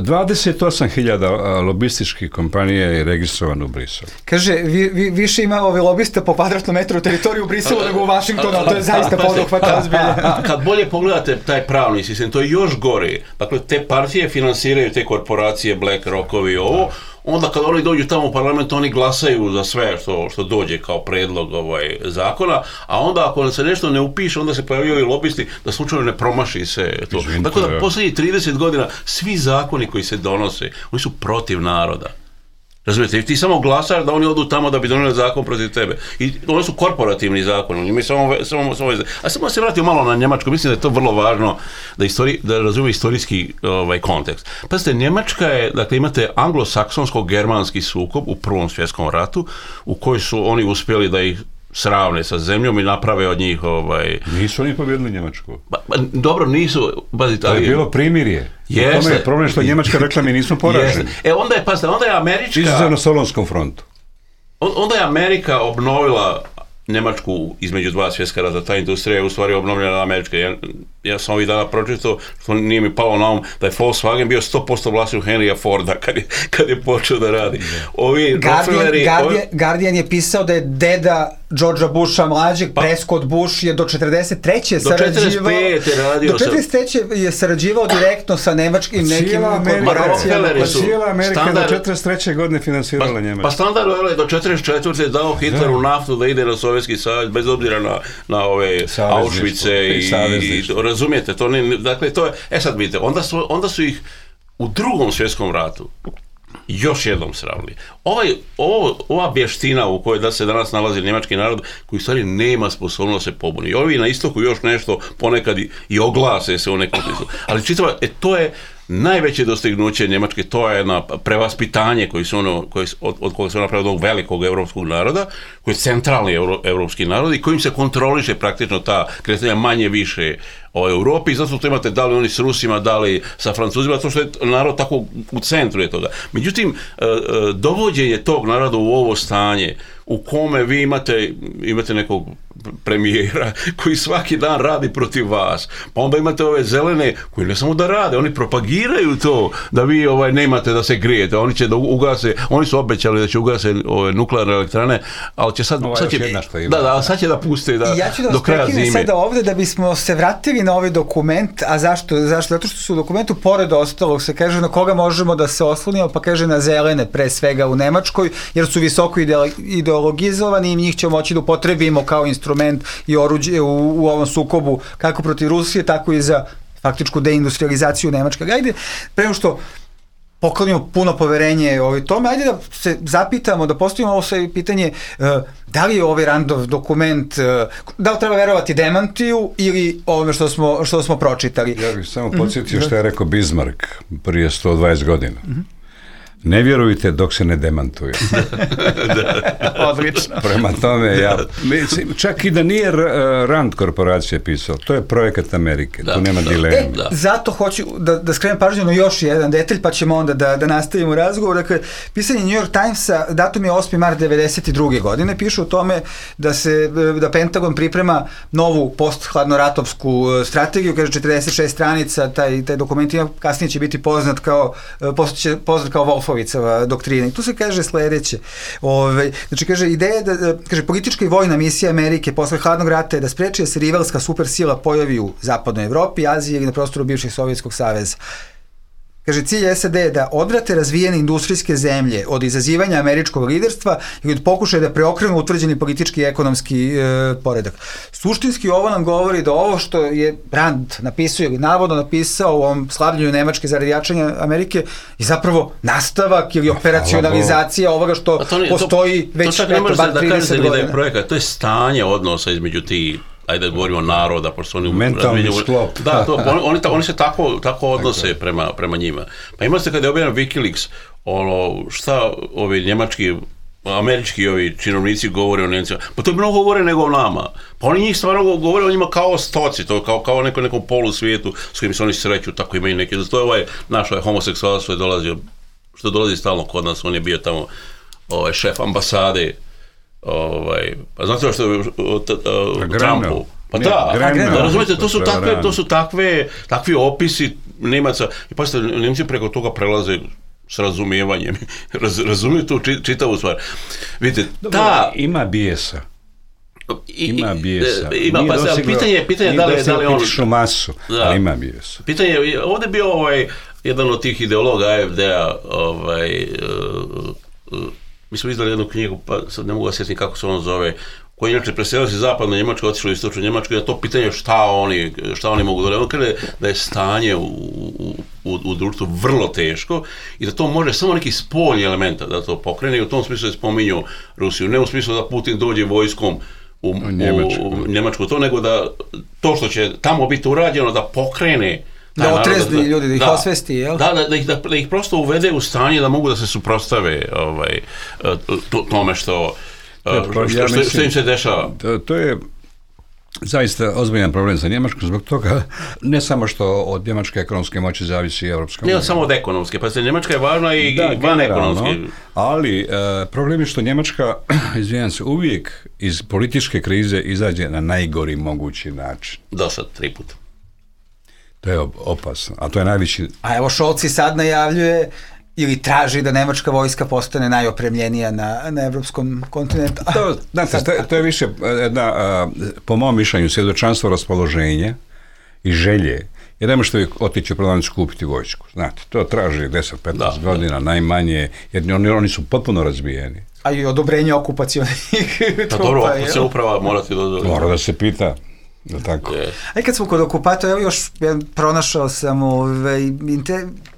E: dvadeset osam hiljada lobističkih kompanija je registrovano u Briselu.
C: Kaže, vi, vi, više ima ove lobiste po kvadratnom metru teritoriju u Briselu nego u Vašingtonu, a to je zaista poduhvat ozbiljan.
D: Kad bolje pogledate taj pravni sistem, to je još gore. Dakle, te partije finansiraju te korporacije, BlackRockovi i ovo, onda kad oni dođu tamo u parlament, oni glasaju za sve što, što dođe kao predlog ovaj, zakona, a onda ako se nešto ne upiše, onda se pojavljaju lobisti da slučajno ne promaši se to. Izvinite, tako da posljednjih trideset godina svi zakoni koji se donose, oni su protiv naroda. Razumijete, ti samo glasaš da oni odu tamo da bi donijeli zakon protiv tebe. I oni su korporativni zakoni, oni samo, samo, samo a samo se vratio malo na Njemačku, mislim da je to vrlo važno da, istori, da razumije istorijski ovaj, kontekst. Pazite, Njemačka je, dakle imate anglosaksonsko-germanski sukob u Prvom svjetskom ratu, u kojoj su oni uspjeli da ih sravne sa zemljom i naprave od njih ovaj...
E: Nisu oni pobjedili Njemačku.
D: Ba, ba, dobro, nisu... Bazite,
E: ali... To je bilo primirje. Jeste. U tome je problem što Njemačka rekla mi nismo poraženi.
D: E onda je, pazite, onda je Američka...
E: Izuzev na Solonskom frontu.
D: On, onda je Amerika obnovila Njemačku između dva svjetska rata. Ta industrija je u stvari obnovljena Američka. Ja, ja sam ovih dana pročitao, što nije mi palo na um, da je Volkswagen bio sto posto vlasnik Henrya Forda kad je, kad je počeo da radi. Ovi
C: Guardian, Guardian, ovi... Guardian je pisao da je deda Georgea Busha mlađeg, pa, Prescott Bush je do četrdeset treće sarađivao...
D: radio
C: do četrdeset treće je sarađivao direktno sa nemačkim nekim korporacijama.
E: Pa cijela Amerika standard, do četrdeset treće godine finansirala pa, Njemačku.
D: Pa standard je do četrdeset četvrte dao Hitleru naftu da ide na Sovjetski savez, bez obzira na, na ove Auschwitze i, i razumijete, to ne, dakle to je, e sad vidite, onda su, onda su ih u Drugom svjetskom ratu još jednom sravili. Ovaj, ovo, ova vještina u kojoj da se danas nalazi njemački narod, koji u stvari nema sposobnost se pobuni. I ovi na istoku još nešto ponekad i, i oglase se u nekom smislu. Ali čitava, e, to je najveće dostignuće Njemačke, to je jedno prevaspitanje koji su ono, koji, od, od kojeg se napravio od velikog evropskog naroda, koji je centralni euro, evropski narod i kojim se kontroliše praktično ta kretanja manje više o Europi, zato to imate da li oni s Rusima, da li sa Francuzima, zato što je narod tako u centru je toga. Međutim, dovođenje tog naroda u ovo stanje, u kome vi imate, imate nekog premijera koji svaki dan radi protiv vas, pa onda imate ove zelene koji ne samo da rade, oni propagiraju to da vi ovaj nemate da se grijete, oni će da ugase, oni su obećali da će ugase ove nuklearne elektrane, ali će sad, sad će, da, da, sad će da puste da,
C: ja ću da
D: do kraja zime.
C: Sada ovdje da bismo se vratili na ovaj dokument, a zašto? Zašto? Zato što su u dokumentu pored ostalog se kaže na koga možemo da se oslonimo, pa kaže na zelene pre svega u Nemačkoj, jer su visoko ideologizovani i njih ćemo moći da upotrebimo kao instrument i oruđe u, u ovom sukobu kako protiv Rusije, tako i za faktičku deindustrializaciju Nemačke. Ajde, prema što poklonimo puno poverenje ovoj tome, ajde da se zapitamo, da postavimo ovo sve pitanje, uh, da li je ovaj Randov dokument, uh, da li treba verovati demantiju ili ovome što smo, što smo pročitali?
E: Ja bih samo podsjetio mm-hmm. što je rekao Bismarck prije sto dvadeset godina. Mm-hmm. Ne vjerujte dok se ne demantuje.
C: Odlično.
E: Prema tome, ja, mislim, čak i da nije Rand korporacija pisao, to je projekat Amerike, da, tu nema
D: da,
E: dileme.
C: E, zato hoću da, da skrenem pažnju na još jedan detalj, pa ćemo onda da, da nastavimo razgovor. Dakle, pisanje New York Timesa, datum je osmi mart devedeset druge godine, piše o tome da se, da Pentagon priprema novu post-hladnoratovsku strategiju, kaže četrdeset šest stranica, taj, taj dokument ima, kasnije će biti poznat kao, će poznat kao Wolfovicova doktrina. I tu se kaže sledeće. Ove, znači, kaže, ideja da, kaže, politička i vojna misija Amerike posle hladnog rata je da spreči da se rivalska supersila pojavi u zapadnoj Evropi, Aziji ili na prostoru bivšeg Sovjetskog saveza. Kaže, cilj S A D je da odvrate razvijene industrijske zemlje od izazivanja američkog liderstva i od pokušaja da preokrenu utvrđeni politički i ekonomski e, poredak. Suštinski ovo nam govori da ovo što je Rand napisao ili navodno napisao u ovom slabljenju Nemačke zarad jačanja Amerike je zapravo nastavak ili operacionalizacija ovoga što to ne, postoji to, već
D: to eto, bar trideset godina. Da je projekat, to je stanje odnosa između tih, ajde da govorimo naroda, pošto oni
E: mentalni sklop.
D: Da, to, oni, oni, oni se tako, tako odnose prema, prema njima. Pa ima se kada je objavljen Wikileaks, ono, šta ovi njemački, američki ovi činovnici govore o Nemcima, pa to je mnogo govore nego o nama. Pa oni njih stvarno govore o njima kao stoci, to kao, kao neko, nekom polu svijetu s kojim se oni sreću, tako imaju neki. To je ovaj naš ovaj homoseksualac što je dolazio, što dolazi stalno kod nas, on je bio tamo ovaj, šef ambasade. Ovaj, pa znate što je o Trumpu? Pa da, da, razumijete, to su takve, to su takve, takvi opisi Nemaca. I pa ste, Nemci preko toga prelaze s razumijevanjem. Raz, razumiju tu čitavu stvar. Vidite, ta...
E: Ima bijesa. Ima bijesa.
D: Ima, pa se, pitanje, pitanje da li je, da li on...
E: masu, da, ali ima bijesa.
D: Pitanje, ovdje je bio ovaj, jedan od tih ideologa A F D-a, ovaj... Uh, uh, mi smo izdali jednu knjigu, pa sad ne mogu da sjetiti kako se on zove, koji inače preselio se zapadno Njemačku, otišao u istočnu Njemačku, da to pitanje šta oni, šta oni mogu da rade. On kaže da je stanje u, u, u, u društvu vrlo teško i da to može samo neki spoljni elementa da to pokrene i u tom smislu je spominju Rusiju. Ne u smislu da Putin dođe vojskom u, u, Njemačku. u Njemačku to, nego da to što će tamo biti urađeno da pokrene
C: da otrezni ljudi, da ih da, osvesti, jel?
D: Da, da, da, ih, da, da ih prosto uvede u stanje da mogu da se suprotstave ovaj, to, tome što, ja, što, ja što, što im se dešava.
E: To, to je zaista ozbiljan problem za Njemačku, zbog toga ne samo što od njemačke ekonomske moći zavisi Evropska unija.
D: Ne samo od ekonomske, pa se Njemačka je važna i da, van ekonomske.
E: Ali e, problem je što Njemačka, izvijem se, uvijek iz političke krize izađe na najgori mogući način.
D: Do sad, tri puta.
E: To je opasno, a to je najveći...
C: A evo Scholz sad najavljuje ili traži da nemačka vojska postane najopremljenija na, na evropskom kontinentu.
E: To, znate, to, to je više jedna, po mom mišljenju, svjedočanstvo raspoloženja i želje. Jer ne možete otići u prodavnicu kupiti vojsku. Znate, to traži deset do petnaest godina, da. Najmanje, jer oni, oni su potpuno razbijeni.
C: A i odobrenje okupacionih
D: trupa. Pa dobro, okupacija uprava morate da...
E: Mora da se pita. Da, tako.
C: Yeah. A i kad smo kod okupatora, evo još pronašao sam ove,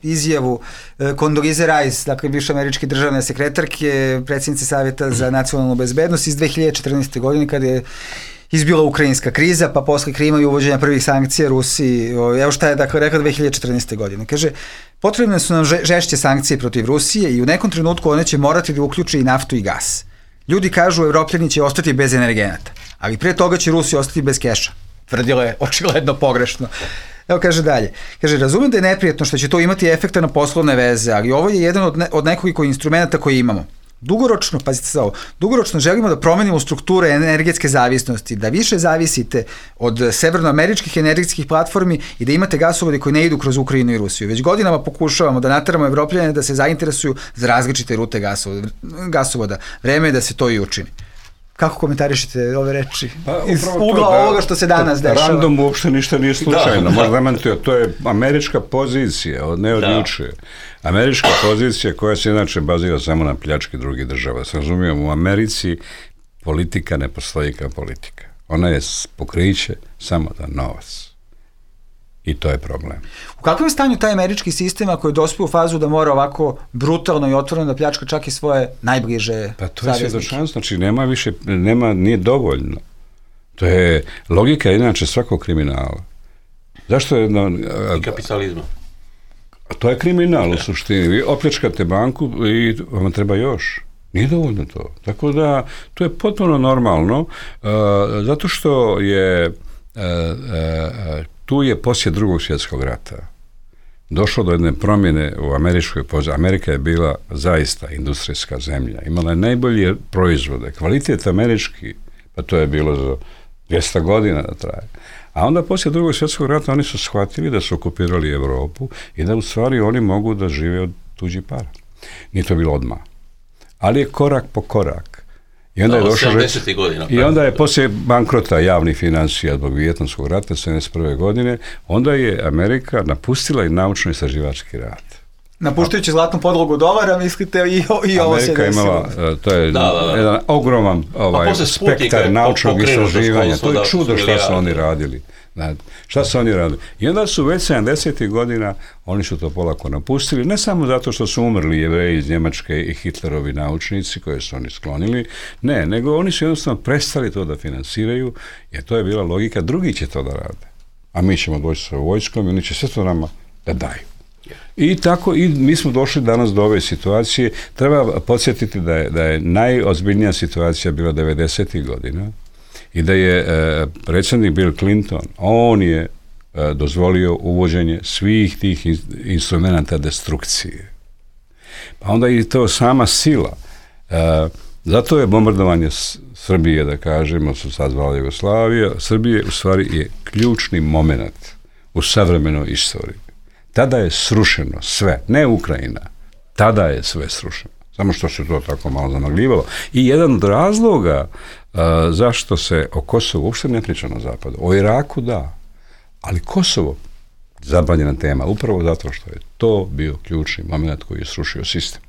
C: izjavu Condoleezza Rice, dakle bivše američke državne sekretarke, predsjednice Savjeta za nacionalnu bezbednost iz dve hiljade četrnaeste. godine kada je izbila ukrajinska kriza, pa posle Krima i uvođenja prvih sankcija Rusiji. Evo šta je dakle rekla dve hiljade četrnaeste. godine. Kaže, potrebne su nam žešće sankcije protiv Rusije i u nekom trenutku one će morati da uključe i naftu i gas. Ljudi kažu, Evropljani će ostati bez energenata, ali pre toga će Rusi ostati bez keša. Tvrdilo je očigledno pogrešno. Evo kaže dalje. Kaže, razumem da je neprijetno što će to imati efekta na poslovne veze, ali ovo je jedan od, ne, od nekoliko instrumenta koje imamo. Dugoročno, pazite se ovo, dugoročno želimo da promenimo strukture energetske zavisnosti, da više zavisite od severnoameričkih energetskih platformi i da imate gasovode koji ne idu kroz Ukrajinu i Rusiju. Već godinama pokušavamo da nateramo Evropljane da se zainteresuju za različite rute gasovoda. gasovoda. Vreme je da se to i učini. Kako komentarišete ove reči? Pa, iz ugla da, ovoga što se danas dešava?
E: Random uopšte ništa nije slučajno. Da, možda demantio, to je američka pozicija, od ne od juče. Američka pozicija koja se inače bazira samo na pljački drugih država. Se razumijem, u Americi politika ne postoji kao politika. Ona je pokriće samo za novac. I to je problem.
C: U kakvom je stanju taj američki sistem ako je dospio u fazu da mora ovako brutalno i otvoreno da pljačka čak i svoje najbliže saveznike?
E: Pa to je svjedočanstvo, znači nema više, nema, nije dovoljno. To je logika inače svakog kriminala. Zašto je... No,
D: I kapitalizma.
E: To je kriminal u suštini. Vi opljačkate banku i vam treba još. Nije dovoljno to. Tako da, to je potpuno normalno, uh, zato što je uh, uh, tu je poslije drugog svjetskog rata došlo do jedne promjene u američkoj poziciji. Amerika je bila zaista industrijska zemlja. Imala je najbolje proizvode. Kvalitet američki, pa to je bilo za dvjesto godina da traje. A onda poslije drugog svjetskog rata oni su shvatili da su okupirali Europu i da u stvari oni mogu da žive od tuđih para. Nije to bilo odmah. Ali je korak po korak. I onda, no, je došlo,
D: godina,
E: i onda je poslije bankrota javnih financija zbog Vijetnamskog rata sedamdeset prve godine, onda je Amerika napustila i naučno-istraživački rad.
C: Napuštajući zlatnu podlogu dolara, mislite, i, i ovo se desilo. Imala,
E: to je da, da, da. jedan ogroman ovaj, spektar naučnog istraživanja. To je čudo šta su oni radili. Šta su oni radili? I onda su već sedamdesetih godina, oni su to polako napustili, ne samo zato što su umrli Jevreji iz Njemačke i Hitlerovi naučnici koje su oni sklonili, ne, nego oni su jednostavno prestali to da finansiraju, jer to je bila logika, drugi će to da rade. A mi ćemo doći sa vojskom i oni će sve to nama da daju. I tako, i mi smo došli danas do ove situacije. Treba podsjetiti da je, da je najozbiljnija situacija bila devedesetih godina i da je e, predsjednik Bill Clinton, on je e, dozvolio uvođenje svih tih in, instrumenta destrukcije. Pa onda i to sama sila. E, zato je bombardovanje Srbije, da kažemo, su sad zvala Jugoslavija, Srbije u stvari je ključni moment u savremenoj istoriji. Tada je srušeno sve, ne Ukrajina, tada je sve srušeno. Samo što se to tako malo zamagljivalo. I jedan od razloga uh, zašto se o Kosovu uopšte ne priča na zapadu. O Iraku da, ali Kosovo, zabranjena tema, upravo zato što je to bio ključni moment koji je srušio sistem.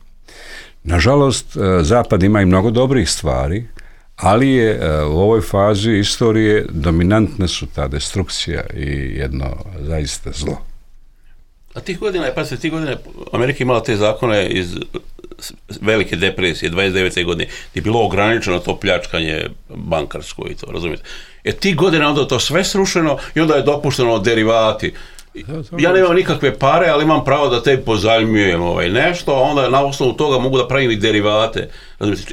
E: Nažalost, uh, zapad ima i mnogo dobrih stvari, ali je uh, u ovoj fazi istorije dominantne su ta destrukcija i jedno zaista zlo.
D: A tih godina, pa se tih godina Amerika imala te zakone iz velike depresije, dvadeset devete godine, gdje je bilo ograničeno to pljačkanje bankarsko i to, razumijete? E tih godina onda to sve srušeno i onda je dopušteno derivati. Ja nemam nikakve pare, ali imam pravo da te pozajmljujem ovaj nešto, a onda na osnovu toga mogu da pravim i derivate.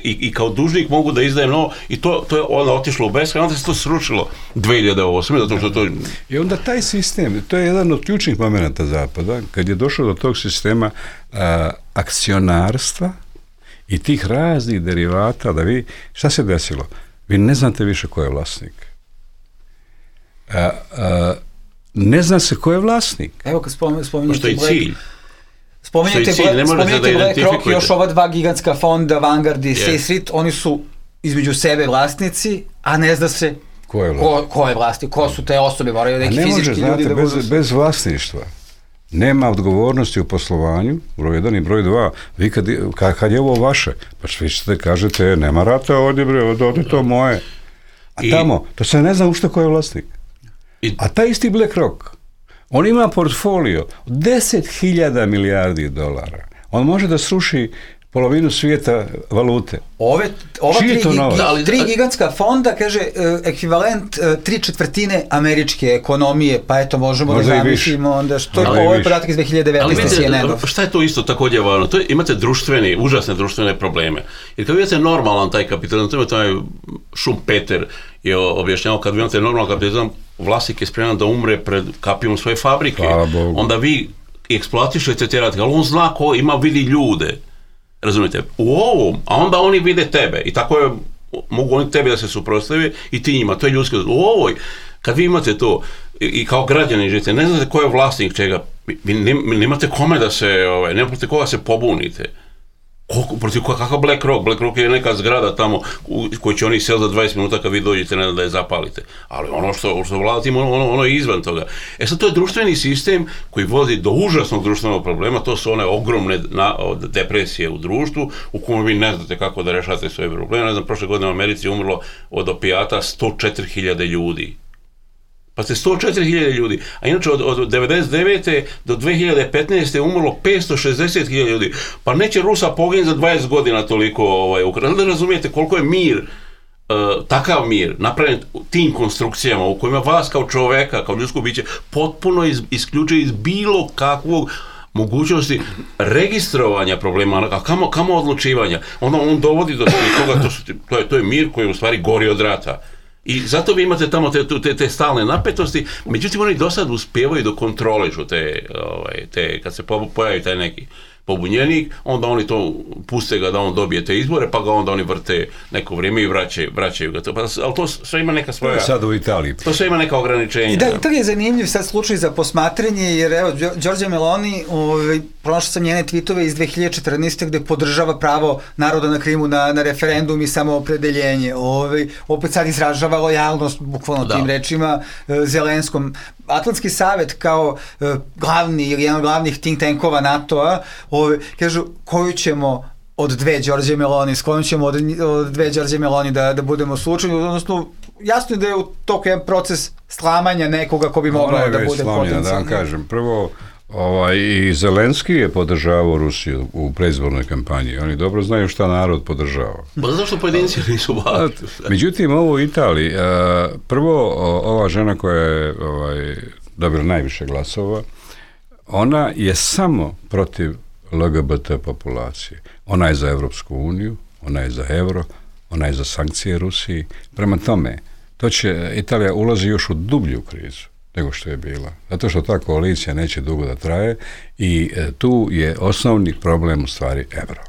D: I, i kao dužnik mogu da izdajem novo, i to, to je onda otišlo u beskraj, onda se to srušilo dvije hiljade osme. Zato što to...
E: I onda taj sistem, to je jedan od ključnih momenta Zapada, kad je došlo do tog sistema a, akcionarstva i tih raznih derivata, da vi, šta se desilo? Vi ne znate više ko je vlasnik. A, a, ne zna se ko je vlasnik.
C: Evo kad spominjete... Spominjete
D: što je cilj.
C: Spominjete,
D: cilj,
C: spominjete BlackRock i još ova dva gigantska fonda, Vanguard i State Street, oni su između sebe vlasnici, a ne zna se
E: ko je,
C: ko, ko je vlasnik, ko su te osobe, moraju neki fizički
E: može,
C: ljudi
E: znate,
C: da
E: bez,
C: budu...
E: bez vlasništva nema odgovornosti u poslovanju, broj jedan i broj dva. Vi kad, kad je ovo vaše, pa vi ćete kažete, nema rata ovdje, bre, ovdje to moje. A I... tamo, to se ne zna ušte ko je vlasnik. I... A taj isti BlackRock, on ima portfolio deset hiljada milijardi dolara. On može da sruši polovinu svijeta valute.
C: Ove, ova tri, gig, tri gigantska fonda, kaže, ekvivalent tri četvrtine američke ekonomije, pa eto možemo možda da zamislimo onda što je ovo je podatak iz dve hiljade devetnaeste. C N N-ov.
D: Šta je to isto također važno? To je, imate društveni, užasne društvene probleme. Jer kad vidite normalan taj kapitalizam, to ima taj Schumpeter je objašnjavao, kad vi imate normalan kapitalizam, vlasnik je spreman da umre pred kapijom svoje fabrike. Onda vi eksploatišete te radnike, ali on zna ko ima, vidi ljude. Razumijete, u ovom, a onda oni vide tebe i tako je, mogu oni tebi da se suprotstave i ti njima, to je ljudski. U ovoj, kad vi imate to i, i kao građani živite, ne znate ko je vlasnik čega, vi nemate kome da se, ovaj, nemate koga se pobunite. Koliko, protiv kakav BlackRock? BlackRock je neka zgrada tamo u kojoj će oni sel za dvadeset minuta kad vi dođete, ne da je zapalite. Ali ono što, što vlada ono, ono, ono je izvan toga. E sad to je društveni sistem koji vodi do užasnog društvenog problema, to su one ogromne na, depresije u društvu u kojem vi ne znate kako da rešate svoje probleme. Ne znam, prošle godine u Americi je umrlo od opijata sto četiri hiljade ljudi. Pa ste sto četiri hiljade ljudi, a inače od, od devedeset devete do dve hiljade petnaeste je umrlo petsto šezdeset hiljada ljudi. Pa neće Rusa poginuti za dvadeset godina toliko ovaj, Ukrajina. Da razumijete koliko je mir, uh, takav mir, napravljen tim konstrukcijama u kojima vas kao čoveka, kao ljudsko biće, potpuno iz, isključuje iz bilo kakvog mogućnosti registrovanja problema, a kamo, kamo odlučivanja. Onda on dovodi do toga, to, su, to, je, to je mir koji u stvari gori od rata. I zato vi imate tamo te, te, te stalne napetosti, međutim oni do sad uspijevaju da kontrolišu te, ovaj, te, kad se pojavi taj neki pobunjenik, onda oni to puste ga da on dobije te izbore, pa ga onda oni vrte neko vrijeme i vraćaju, vraćaju ga to. Pa, ali to sve ima neka svoja...
E: Sad u Italiji.
D: To sve ima neka ograničenja.
C: I da, Italija je zanimljiv sad slučaj za posmatranje, jer evo, Giorgia Meloni, ovaj, pronašao sam njene tweetove iz dve hiljade četrnaeste. gde podržava pravo naroda na Krimu na, na referendum i samoopredeljenje. Ovaj, opet sad izražava lojalnost, bukvalno da. tim rečima, Zelenskom. Atlantski savet kao uh, glavni ili jedan od glavnih think tankova NATO-a, ove, kažu koju ćemo od dve Giorgie Meloni, s kojom ćemo od, od dve Giorgie Meloni da, da budemo slučajni, odnosno jasno je da je u toku jedan proces slamanja nekoga ko bi mogao da bude potencijalno.
E: Da vam kažem, prvo ovaj, i Zelenski je podržavao Rusiju u predizbornoj kampanji, oni dobro znaju šta narod podržava.
D: Pa zašto pojedinci nisu baviti?
E: Međutim, ovo u Italiji, prvo ova žena koja je ovaj, dobila najviše glasova, ona je samo protiv L G B T populacije. Ona je za Evropsku uniju, ona je za euro, ona je za sankcije Rusiji. Prema tome, to će, Italija ulazi još u dublju krizu nego što je bila. Zato što ta koalicija neće dugo da traje i e, tu je osnovni problem u stvari euro.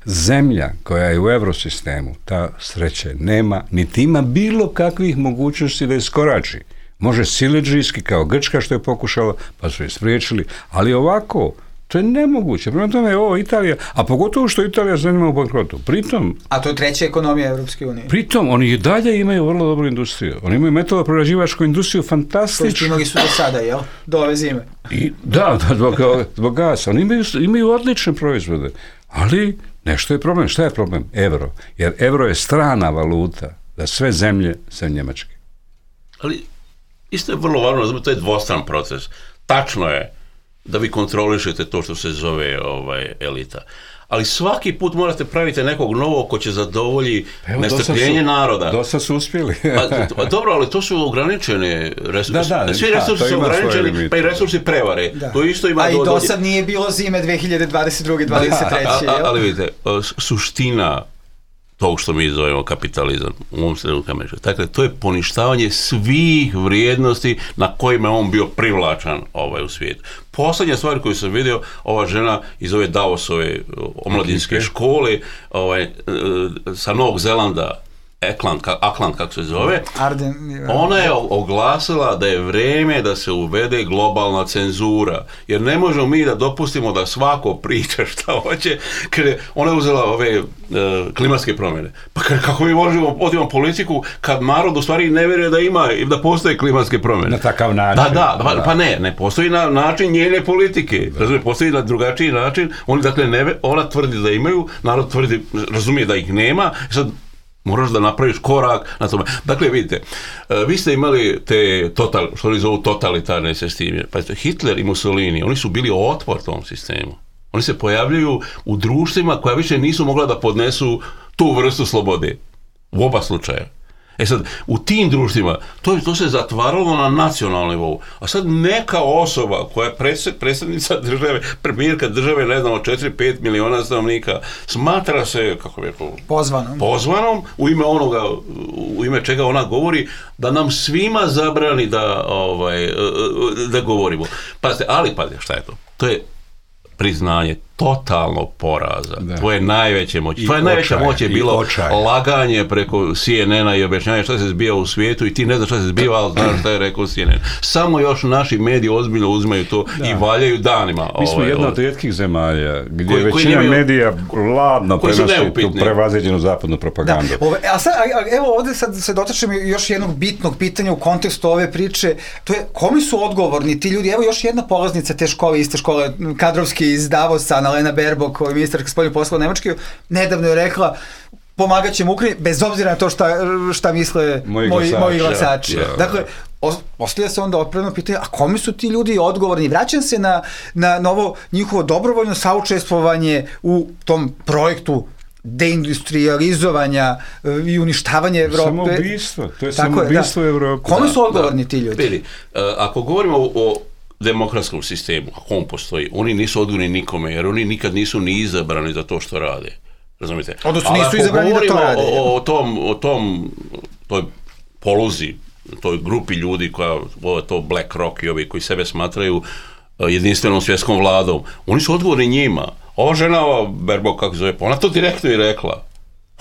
E: Zemlja koja je u eurosistemu, ta sreće nema, niti ima bilo kakvih mogućnosti da iskorači. Može siledžijski kao Grčka što je pokušala, pa su je spriječili, ali ovako, to je nemoguće. Prema tome je ovo Italija, a pogotovo što Italija zanima u bankrotu. Pritom...
C: A to je treća ekonomija Evropske unije.
E: Pritom, oni i dalje imaju vrlo dobru industriju. Oni imaju metaloprerađivačku industriju fantastičnu.
C: To imali su do sada, jel? Do ove zime.
E: I, da, da, zbog, zbog gasa. Oni imaju, imaju odlične proizvode. Ali nešto je problem. Šta je problem? Euro. Jer euro je strana valuta za sve zemlje sem Njemačke.
D: Ali isto je vrlo važno, to je dvostran proces. Tačno je da vi kontrolišete to što se zove ovaj, elita. Ali svaki put morate praviti nekog novog ko će zadovolji nestrpljenje naroda.
E: Dosta su uspjeli.
D: pa, dobro, ali to su ograničene resursi. Da, da, Svi resursi da, su ograničeni, pa i resursi prevare. Da. To isto ima
C: a
D: do,
C: i do sad nije bilo zime dve hiljade dvadeset druge dvadeset treće Da, a, a,
D: ali vidite, suština tog što mi zovemo kapitalizam u ovom trenutku Amerike. Dakle, to je poništavanje svih vrijednosti na kojima je on bio privlačan ovaj, u svijetu. Poslednja stvar koju sam vidio, ova žena iz ove Davosove omladinske škole ovaj, sa Novog Zelanda, Auckland, Auckland kako se zove,
C: Arden,
D: ona je oglasila da je vrijeme da se uvede globalna cenzura, jer ne možemo mi da dopustimo da svako priča šta hoće, jer ona je uzela ove uh, klimatske promjene. Pa kako mi možemo voditi politiku kad narod u stvari ne vjeruje da ima i da postoje klimatske promjene?
E: Na takav način.
D: Da, da, pa, pa ne, ne postoji na način njene politike. Razumije, postoji na drugačiji način. Oni dakle ne, ona tvrdi da imaju, narod tvrdi, razumije da ih nema. Sad moraš da napraviš korak na tome. Dakle, vidite, vi ste imali te, total, što oni zovu totalitarne sisteme. Pa Hitler i Mussolini, oni su bili otpor tom sistemu. Oni se pojavljuju u društvima koja više nisu mogla da podnesu tu vrstu slobode. U oba slučaja. E sad, u tim društvima, to, to se zatvaralo na nacionalnom nivou. A sad neka osoba koja je predsjednica države, premijerka države, ne znamo, četiri do pet miliona stanovnika, smatra se, kako bi rekao,
C: pozvanom.
D: pozvanom, u ime onoga, u ime čega ona govori, da nam svima zabrani da, ovaj, da govorimo. Pazite, ali pazite, šta je to? To je priznanje totalnog poraza. Da. Tvoje najveće moći. Tvoje najveća moć je bilo laganje preko C N N-a i objašnjanje šta se zbiva u svijetu i ti ne znaš šta se zbiva, ali znaš šta je rekao C N N. Samo još naši mediji ozbiljno uzimaju to da. I valjaju danima.
E: Mi smo jedna od rijetkih zemalja gdje koji, većina koji medija ladno prenosi tu prevaziđenu zapadnu propagandu.
C: Da. Ove, a sad, a, evo ovdje sad se dotačemo još jednog bitnog pitanja u kontekstu ove priče. To je, komi su odgovorni ti ljudi? Evo još jedna polaznica te škole, iste škole, kadrovski iz Davosa, Lena Baerbock, koja je ministarka spoljnih poslova Nemačke, nedavno je rekla pomagat ćemo Ukrajini, bez obzira na to šta, šta misle moji, moji, glasači, moji glasači. Ja, ja. Dakle, postavlja se onda otpravno pitanje, a komi su ti ljudi odgovorni? Vraćam se na, na novo njihovo dobrovoljno saučestvovanje u tom projektu deindustrializovanja i uništavanja Evrope.
E: Samoubistvo, to je samoubistvo da. Evrope.
C: Komi su odgovorni da, ti ljudi?
D: Bili, ako govorimo o demokratskom sistemu, ako on postoji, oni nisu odgovorni nikome, jer oni nikad nisu ni izabrani za to što rade. Razumite?
C: Odnosno nisu izabrani da to rade.
D: O, o tom, o tom, toj poluzi, toj grupi ljudi koja, to BlackRock i ovi koji sebe smatraju jedinstvenom svjetskom vladom, oni su odgovorni njima. Ova žena, ova Baerbock, kako zove, ona to direktno i rekla.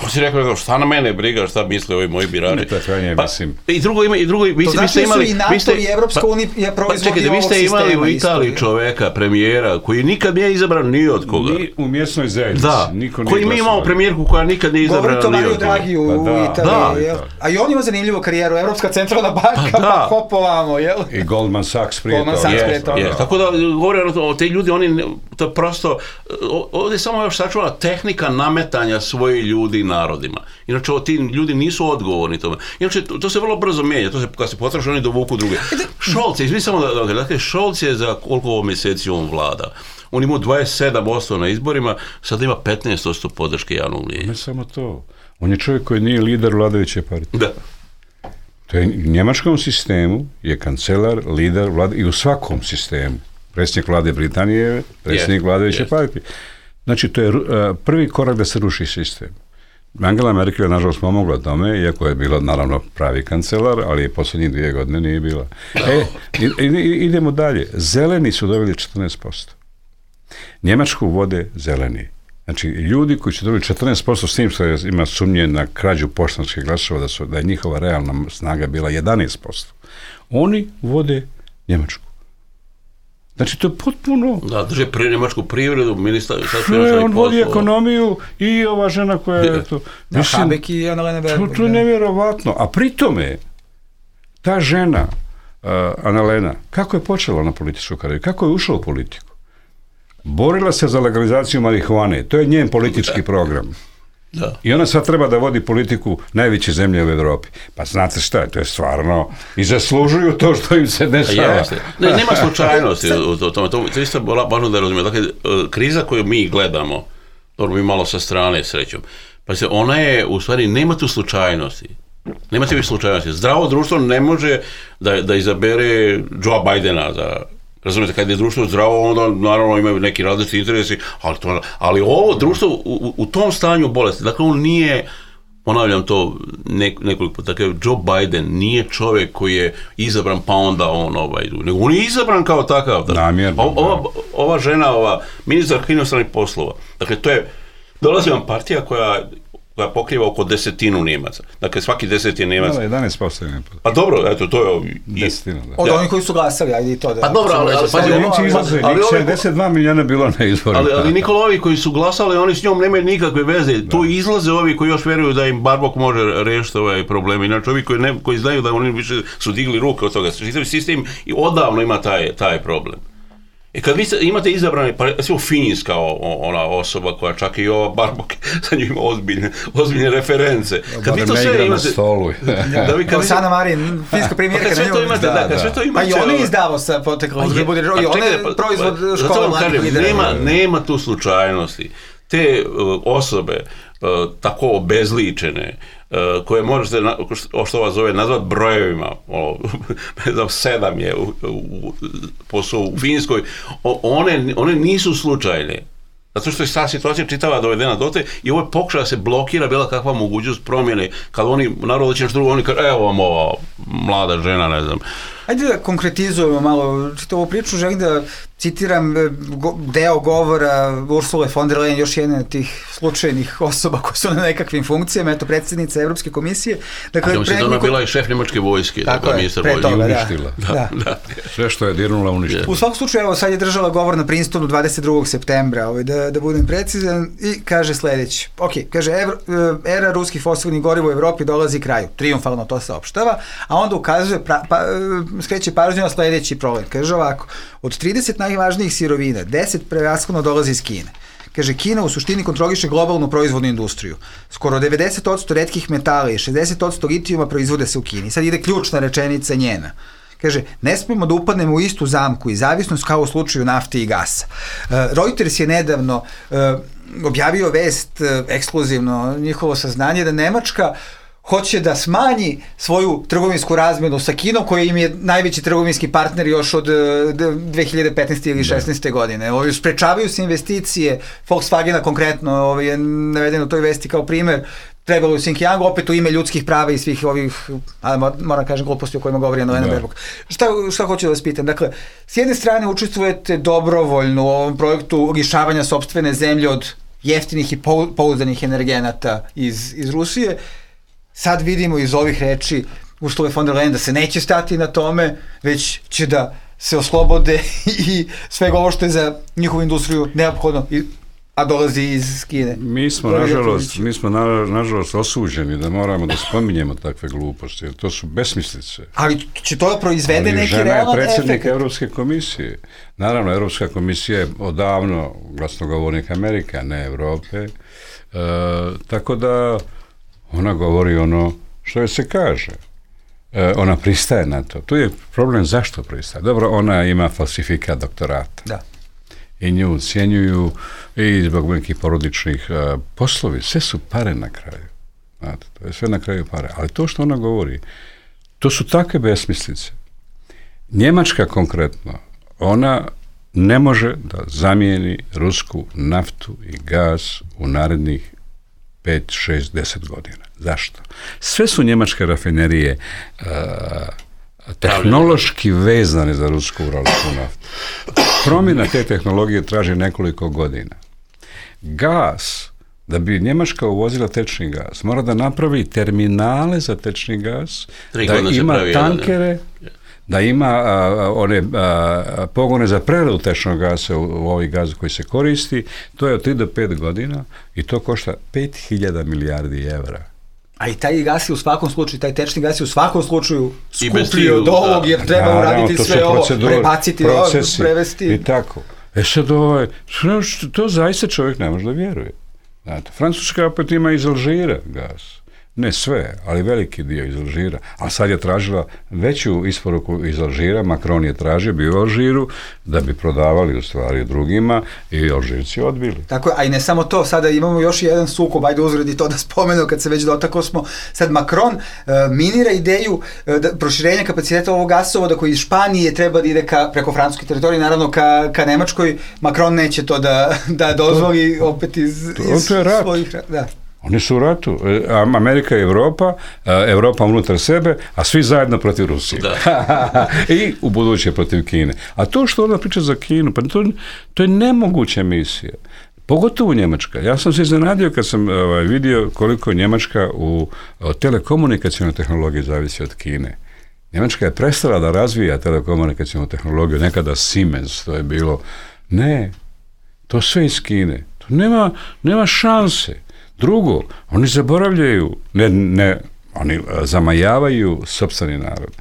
D: On si rekao, šta na mene briga, šta misle ovi moji birači.
E: Pa, mislim.
D: I drugo ima, i drugo, vi,
C: to
D: vi ste imali...
C: To znači su i NATO i Evropska unija proizvodi
D: pa, čekajte,
C: ovog sistema.
D: Vi ste imali u Italiji isto, čoveka, premijera, koji nikad nije izabran ni od koga.
E: Ni u mjesnoj zajednici.
D: Da,
E: niko
D: koji mi imamo premijerku koja nikad nije izabrana ni od koga.
C: Draghi u
E: pa, da,
C: Italiji,
E: da,
C: jel? A i on ima zanimljivu karijeru, Evropska centralna banka, pa, pa hopovamo, jel?
E: I Goldman Sachs prije
C: Goldman Sachs prije toga.
D: Yes, tako da, govorim o te ljudi, oni, to prosto, ovdje samo još sačuvala tehnika nametanja svojih ljudi narodima. Inače, ti ljudi nisu odgovorni tome. Inače, to, to se vrlo brzo mijenja. To se, kad se potraši, oni dovuku druge. Scholz, izvini samo da, da, dakle, Scholz je za koliko ovo mjeseci on vlada. On ima dvadeset sedam posto na izborima, sad ima petnaest posto podrške javnog mnijenja.
E: Ne samo to. On je čovjek koji nije lider vladajuće partije.
D: Da.
E: To je u njemačkom sistemu je kancelar, lider vlade i u svakom sistemu. Predsjednik vlade Britanije, predsjednik yes, vladajuće yes. partije. Znači, to je uh, prvi korak da se ruši sistem. Angela Merkel je nažalost pomogla tome, iako je bila naravno pravi kancelar, ali je posljednjih dvije godine nije bila. E, idemo dalje. Zeleni su dobili četrnaest posto. Njemačku vode zeleni. Znači, ljudi koji su dobili četrnaest posto s tim što je, ima sumnje na krađu poštanskih glasova, da, su, da je njihova realna snaga bila jedanaest posto. Oni vode Njemačku. Znači, to je potpuno...
D: Da, drže pri njemačku privredu, ministar...
E: Sve, on vodi ekonomiju i ova žena koja je to...
C: Da, Habeck i Annalena Baerbock.
E: To, to je nevjerovatno. A pritome, ta žena, uh, Annalena, kako je počela na političku karijeru? Kako je ušla u politiku? Borila se za legalizaciju marihuane. To je njen politički program.
D: Da.
E: I ona sad treba da vodi politiku najveće zemlje u Evropi. Pa znate šta, to je stvarno i zaslužuju to što im se dešava.
D: Ne, nema slučajnosti u tome. To, to isto važno da razumijem. Dakle, kriza koju mi gledamo, dobro mi malo sa strane srećom, pa se ona je, u stvari, nema tu slučajnosti. Nema tu slučajnosti. Zdravo društvo ne može da, da izabere Joe Bidena za... Razumijete, kad je društvo zdravo, onda naravno imaju neki različiti interesi, ali, to, ali ovo društvo u, u tom stanju bolesti, dakle on nije, ponavljam to nek, nekoliko puta, dakle Joe Biden nije čovjek koji je izabran pa onda on ovaj, nego on je izabran kao takav.
E: Namjerno.
D: Ova, ova žena, ova ministar inostranih poslova, dakle to je, dolazi vam partija koja koja pokriva oko desetinu Njemaca. Dakle, svaki deset je Njemac.
E: Da, jedanaest posto je Njemac.
D: Pa dobro, eto, to je...
E: Desetina, da.
C: Od onih koji su glasali, ajde i to da...
D: Pa dobro, ali... ali,
E: ali, ali, ali, ali sedamdeset dva milijuna bilo na izborima.
D: Ali, ali Nikola, ovi koji su glasali, oni s njom nemaju nikakve veze. Da. Tu izlaze ovi koji još vjeruju da im Baerbock može riješiti ovaj problem. Inače, ovi koji, ne, koji znaju da oni više su digli ruke od toga. Sistem i odavno ima taj, taj problem. E kad vi imate izabrane, pa recimo Finjska ona osoba koja čak i ova Baerbock sa njim ima ozbiljne, ozbiljne reference. Kad vi to sve imate...
E: Stolu.
C: Da vi kad Sana Marin, finska premijerka,
D: kad sve to imate, da, kad sve to imate...
C: Pa i on je izdavao sa poteklom, i on je proizvod škola mladih lidera.
D: Nema, nema tu slučajnosti. Te uh, osobe uh, tako obezličene, uh, koje možete, na, što vas zove, nazvat brojevima, o, ne znam, sedam je u, u, posao u Finskoj, o, one, one nisu slučajne. Zato što je ta situacija čitava dovedena dote i ovo je pokušaj da se blokira bila kakva mogućnost promjene, kad oni, naravno će nešto drugo, oni kažu, evo vam ova mlada žena, ne znam.
C: Ajde da konkretizujemo malo čitavu priču, želim da citiram deo govora Ursule von der Leyen, još jedna od tih slučajnih osoba koje su na nekakvim funkcijama, eto predsjednica Evropske komisije.
D: Dakle, a mislim da ona bila i šef njemačke vojske,
C: tako
D: dakle,
C: je, pre toga,
E: i uništila.
C: Da, da.
E: Da. Sve što je dirnula uništila.
C: U svakom slučaju, evo sad je držala govor na Princetonu dvadeset drugog septembra, ovaj, da, da budem precizan, i kaže sljedeći. Ok, kaže, evro, era ruskih fosilnih goriva u Evropi dolazi kraju. Triumfalno to saopštava, a onda ukazuje, pra, pa, skreće pažnju na sljedeći problem. Kaže ovako, od trideset najvažnijih sirovina, deset prevashodno dolazi iz Kine. Kaže, Kina u suštini kontroliše globalnu proizvodnu industriju. Skoro devedeset posto retkih metala i šezdeset posto litijuma proizvode se u Kini. Sad ide ključna rečenica njena. Kaže, ne smijemo da upadnemo u istu zamku i zavisnost kao u slučaju nafte i gasa. Uh, Reuters je nedavno uh, objavio vest, uh, ekskluzivno njihovo saznanje, da Nemačka hoće da smanji svoju trgovinsku razmjenu sa Kinom, koji im je najveći trgovinski partner još od dve hiljade petnaeste ili šesnaeste godine. Ovi sprečavaju se investicije, Volkswagena konkretno ovaj, je naveden u toj vesti kao primer, trebalo u Xinjiangu, opet u ime ljudskih prava i svih ovih, ali moram kažem gluposti o kojima govori Annalena Baerbock. Šta, šta hoću da vas pitam? Dakle, s jedne strane učestvujete dobrovoljno u ovom projektu lišavanja sopstvene zemlje od jeftinih i pouzdanih energenata iz, iz Rusije. Sad vidimo iz ovih reči Ursule von der Leyen da se neće stati na tome, već će da se oslobode i svega ovo što je za njihovu industriju neophodno, a dolazi iz Kine.
E: Mi smo, nažalost, mi smo na, nažalost osuđeni da moramo da spominjemo takve gluposti, jer to su besmislice.
C: Ali će to da proizvede neki realan efekt?
E: Ali žena je predsjednik Evropske komisije. Naravno, Evropska komisija je odavno glasnogovornik Amerike, a ne Evrope. E, tako da ona govori ono što joj se kaže. E, ona pristaje na to. Tu je problem zašto pristaje. Dobro, ona ima falsifikat doktorata.
C: Da.
E: I nju ucijenjuju i zbog nekih porodičnih uh, poslovi. Sve su pare na kraju. Znate, to je sve na kraju pare. Ali to što ona govori, to su takve besmislice. Njemačka konkretno, ona ne može da zamijeni rusku naftu i gaz u narednih pet, šest, deset godina. Zašto? Sve su njemačke rafinerije uh, tehnološki vezane za rusku uralsku naftu. Promjena te tehnologije traži nekoliko godina. Gas, da bi Njemačka uvozila tečni gas, mora da napravi terminale za tečni gas, da ima pravi, tankere, ja. da ima a, one a, pogone za preradu tečnog gasa u, u ovoj gazu koji se koristi. To je od tri do pet godina i to košta pet hiljada milijardi evra.
C: A i taj gas je u svakom slučaju, taj tečni gas je u svakom slučaju skuplji od ovog, jer treba da, uraditi sve ovo, prebaciti ovo, prevesti.
E: I tako. E sad ovaj, to zaista čovjek ne može da vjeruje. Znate, Francuska opet ima iz Alžira gas. Ne sve, ali veliki dio iz Alžira. A sad je tražila veću isporuku iz Alžira, Macron je tražio, bio u Alžiru, da bi prodavali u stvari drugima i Alžirci odbili.
C: Tako, a i ne samo to, sada imamo još jedan sukob, ajde uzredi to da spomenu, kad se već dotaklo smo, sad Macron uh, minira ideju uh, da, proširenja kapaciteta ovog gasovoda koji iz Španije treba da ide ka, preko francuske teritorije, naravno ka, ka Nemačkoj. Macron neće to da, da dozvoli to, opet iz,
E: to,
C: iz
E: to je rat.
C: svojih... Da.
E: Oni su u ratu. Amerika i Evropa, Evropa unutar sebe, a svi zajedno protiv Rusije. I u buduće protiv Kine. A to što ona priča za Kinu, pa to, to je nemoguća misija. Pogotovo Njemačka. Ja sam se iznenadio kad sam ovaj, vidio koliko Njemačka u telekomunikacijnoj tehnologiji zavisi od Kine. Njemačka je prestala da razvija telekomunikacijnu tehnologiju, nekada Siemens, to je bilo. Ne, to sve iz Kine. To nema, nema šanse. Drugo, oni zaboravljaju, ne, ne, oni zamajavaju sopstveni narod.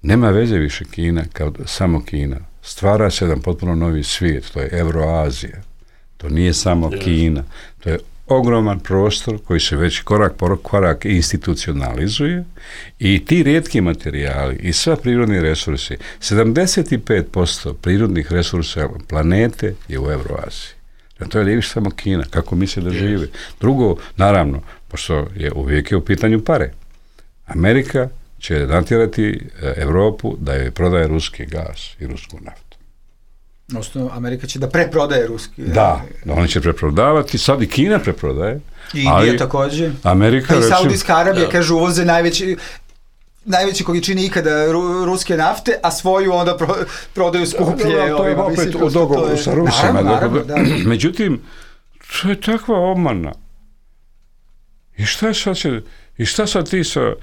E: Nema veze više Kina kao samo Kina. Stvara se jedan potpuno novi svijet, to je Euroazija. To nije samo Kina. To je ogroman prostor koji se već korak po korak institucionalizuje i ti rijetki materijali i sva prirodni resursi, sedamdeset pet posto prirodnih resursa planete je u Euroaziji. To je li više samo Kina, kako misle da žive. Drugo, naravno, pošto je uvijek je u pitanju pare. Amerika će natjerati Evropu da joj prodaje ruski gas i rusku naftu.
C: Odnosno, Amerika će da preprodaje ruski.
E: Da, da oni će preprodavati, sad i Kina preprodaje.
C: I Indija također.
E: Amerika,
C: pa i Saudijska Arabija, da. Kaže, uvoze najveći... najveće količine ikada ru, ruske nafte, a svoju onda pro, prodaju skuplje.
E: Da, da, to je opet u dogovoru sa Rusima.
C: Naravno, naravno, da.
E: Međutim, to je takva obmana. I šta sad, će, i šta sad ti sa uh,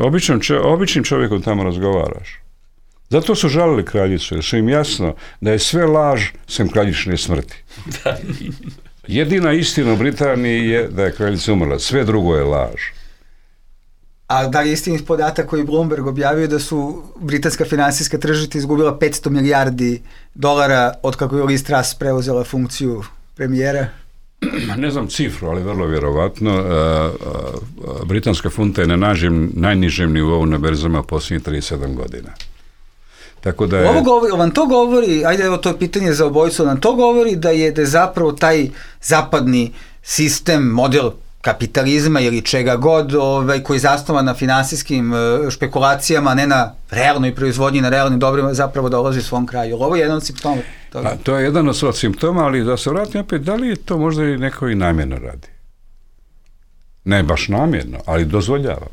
E: običnim, običnim čovjekom tamo razgovaraš? Zato su žalili kraljicu, jer su im jasno da je sve laž sem kraljične smrti. Jedina istina u Britaniji je da je kraljica umrla, sve drugo je laž.
C: A da li je istinit podatak koji Bloomberg objavio da su britanska finansijska tržišta izgubila petsto milijardi dolara od kako je Liz Truss preuzela funkciju premijera?
E: Ne znam cifru, ali vrlo vjerovatno. Uh, uh, britanska funta je na nažem, najnižem nivou na berzama posljednjih trideset sedam godina. Tako da je...
C: Ovo govori, vam to govori, ajde evo to je pitanje za obojicu, nam to govori da je, da je zapravo taj zapadni sistem, model kapitalizma ili čega god ovaj, koji je zasnovan na finansijskim špekulacijama, ne na realnoj proizvodnji, na realnim dobrima, zapravo dolazi svom kraju. Ovo je jedan od simptoma toga.
E: A, to je jedan od simptoma, ali da se vratim opet, da li je to možda i neko i namjerno radi? Ne baš namjerno, ali dozvoljava.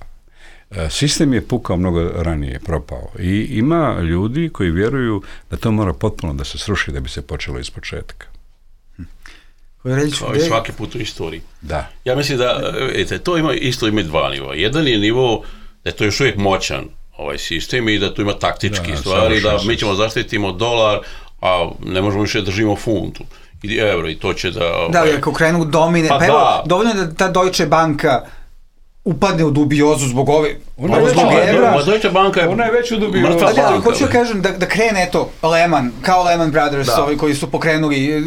E: Sistem je pukao mnogo ranije, propao. I ima ljudi koji vjeruju da to mora potpuno da se sruši da bi se počelo iz početka.
D: Kao i svaki put u istoriji.
E: Da.
D: Ja mislim da, ete, to ima isto ima dva nivoa. Jedan je nivo da je to još uvijek moćan ovaj sistem i da tu ima taktički da, stvari, da mi ćemo zaštitimo dolar, a ne možemo više držimo funtu i euro i to će da... Ovaj...
C: Da, jer ako krenu domine, pa, pa evo, da. Dovoljno je da ta Deutsche Banka upadne u dubiozu zbog ove...
E: Ona je, zbog
D: evra. Deutsche Banka je,
E: ona je već u dubiozu.
C: Da, ali hoću kažem da, da krene, eto, Lehman, kao Lehman Brothers, da. Ovi koji su pokrenuli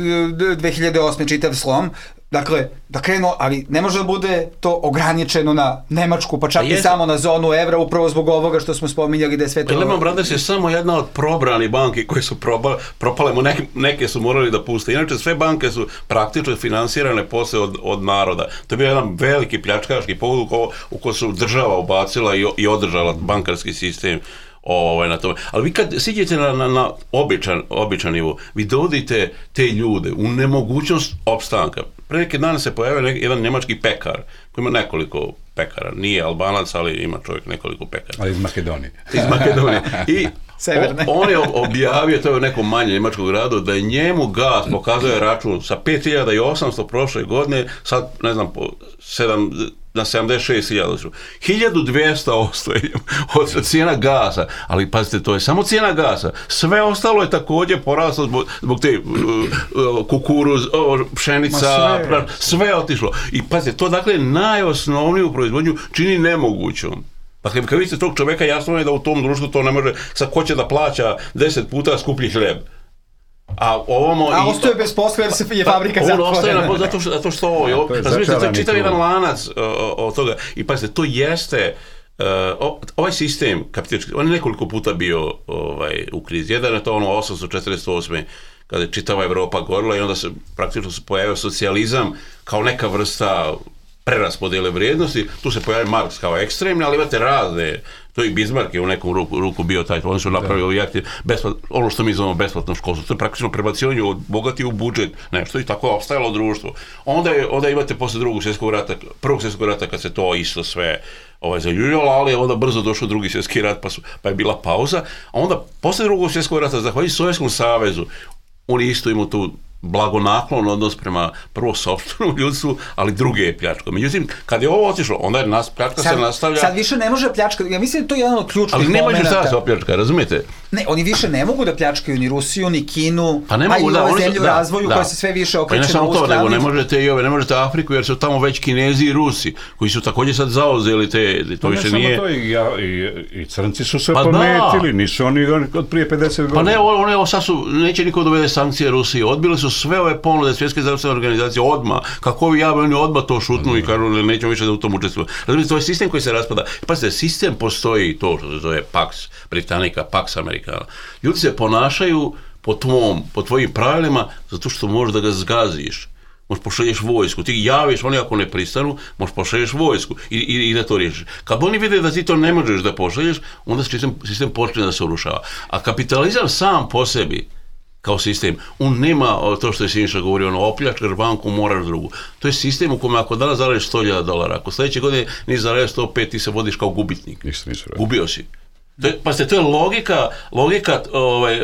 C: dve hiljade osme čitav slom, dakle, da krenu, ali ne može da bude to ograničeno na Nemačku, pa čak i samo na zonu evra, upravo zbog ovoga što smo spominjali da je sve to...
D: Lehman Brothers je samo jedna od probrani banki koje su proba, propale, neke, neke su morali da puste. Inače, sve banke su praktično finansirane posle od, od naroda. To je bio jedan veliki pljačkaški povod u, u koji su država ubacila i, i održala bankarski sistem ovaj, na tome. Ali vi kad siđete na, na, na običan, običan nivo, vi dovodite te ljude u nemogućnost opstanka. Pre neke dane se pojavio neki, jedan njemački pekar, koji ima nekoliko pekara, nije Albanac, ali ima čovjek nekoliko pekara.
E: Ali iz Makedonije.
D: Iz Makedonije. I o, on je objavio, to je u nekom manjem njemačkom gradu, da je njemu gas pokazuje račun sa pet hiljada osamsto prošle godine, sad, ne znam, po sedam, na sedamdeset šest hiljada. hiljadu dvjesto ostaje od cijena gasa, ali pazite, to je samo cijena gasa. Sve ostalo je također poraslo zbog, zbog te uh, kukuruz, uh, pšenica, sve. sve je otišlo. I pazite, to dakle najosnovniju proizvodnju čini nemogućom. Dakle, kad vidite tog čovjeka, jasno je da u tom društvu to ne može, sad ko će da plaća deset puta skuplji hljeb. A ovamo
C: a ostaje bez posla jer se je fabrika zatvorena. On ostaje na, zato što, zato što ovo, jo, razumijete, to je čitav jedan lanac od toga. I pazite, to jeste, uh, ovaj sistem kapitalistički, on je nekoliko puta bio ovaj, u krizi. Jedan je to ono osamsto četrdeset osme kada je čitava Evropa gorila i onda se praktično se pojavio socijalizam kao neka vrsta preraspodjele vrijednosti, tu se pojavio Marks kao ekstremni, ali imate razne, to i Bismarck je u nekom ruku, ruku bio taj, oni su napravili jakti, besplat, ono što mi zovemo besplatno školstvo, to je praktično prebacivanje od bogati u budžet, nešto i tako je opstajalo društvo. Onda, je, onda imate posle drugog svjetskog rata, prvog svjetskog rata kad se to isto sve ovaj, zaljuljalo, ali je onda brzo došao drugi svjetski rat, pa, su, pa je bila pauza, a onda posle drugog svjetskog rata, zahvaljujući Sovjetskom savezu, oni isto imaju tu blagonaklon odnos prema prvo sopstvenom ljudstvu, ali druge je pljačka. Međutim, kad je ovo otišlo, onda je nas, pljačka sad, se nastavlja... Sad više ne može pljačka, ja mislim da to je jedan od ključnih momenata. Ali ne može sada se opljačka, razumijete? Ne, oni više ne mogu da pljačkaju ni Rusiju, ni Kinu, pa ne mogu, a i da, ove zemlje u razvoju da, koja se sve više okreće na ovu stranu. Pa ne samo to, nego ne možete i ove, ne možete Afriku, jer su tamo već Kinezi i Rusi, koji su također sad zauzeli te, to pa više nije...
E: To i, ja, i, i crnci su se pa pometili, da. Nisu oni od prije pedeset godina.
D: Pa ne, one, one sad su, neće niko dovede sankcije Rusiji, odbili su sve ove ponude Svjetske zdravstvene organizacije odmah, kako ovi javi, oni odmah to šutnu i kažu da nećemo više da u tom učestvujemo. Razumijete, to je sistem koji se raspada. Pazite, sistem postoji, to što se zove Pax Britannica, Pax Americana. Ljudi se ponašaju po tvom, po tvojim pravilima zato što možeš da ga zgaziš. Možeš pošalješ vojsku, ti javiš, oni ako ne pristanu, možeš pošalješ vojsku i, i, i da to riješiš. Kad oni vide da ti to ne možeš da pošalješ, onda sistem, sistem počne da se urušava. A kapitalizam sam po sebi, kao sistem, on nema to što je Siniša govorio, ono, opljačkaš banku, moraš drugu. To je sistem u kome ako danas zaradiš sto hiljada dolara, ako sljedeće godine nisi zaradio sto pet, ti se vodiš kao gubitnik.
E: Nisam, nisam
D: Gubio si. To je, pa ste, to je logika, logika ovaj,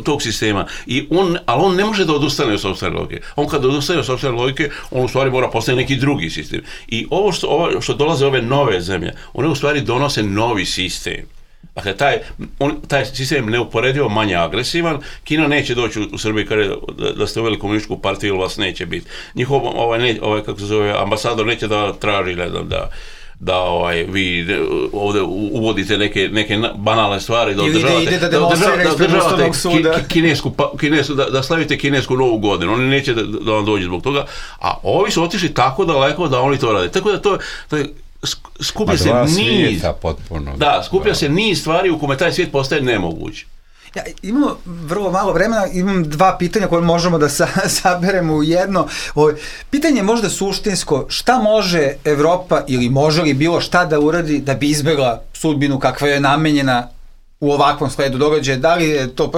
D: tog sistema. I on, ali on ne može da odustane od sopstvene logike. On kad odustane od sopstvene logike, on u stvari mora postaviti neki drugi sistem. I ovo što, ovo što dolaze ove nove zemlje, one u stvari donose novi sistem. Dakle, taj, on, taj sistem je neuporedivo manje agresivan. Kina neće doći u, u Srbiji kada da, da ste uveli komunističku partiju ili vas neće biti. Njihov ovaj, ne, ovaj, kako se zove, ambasador neće da traži, ne znam, da da ovaj, vi ovdje uvodite neke, neke banalne stvari, da održavate, da, da, da, održavate ki, kinesku, kinesku, da, da slavite kinesku novu godinu. Oni neće da, da vam dođe zbog toga, a ovi su otišli tako daleko da oni to rade. Tako da to, to je, skuplja se niz,
E: potpuno,
D: da, skuplja da. se niz stvari u kome taj svijet postaje nemoguć.
C: Ja, imamo vrlo malo vremena, imam dva pitanja koje možemo da sa, saberemo u jedno. Ovo, pitanje je možda suštinsko, šta može Evropa ili može li bilo šta da uradi da bi izbjegla sudbinu kakva je namenjena u ovakvom sledu događaja? Da li je to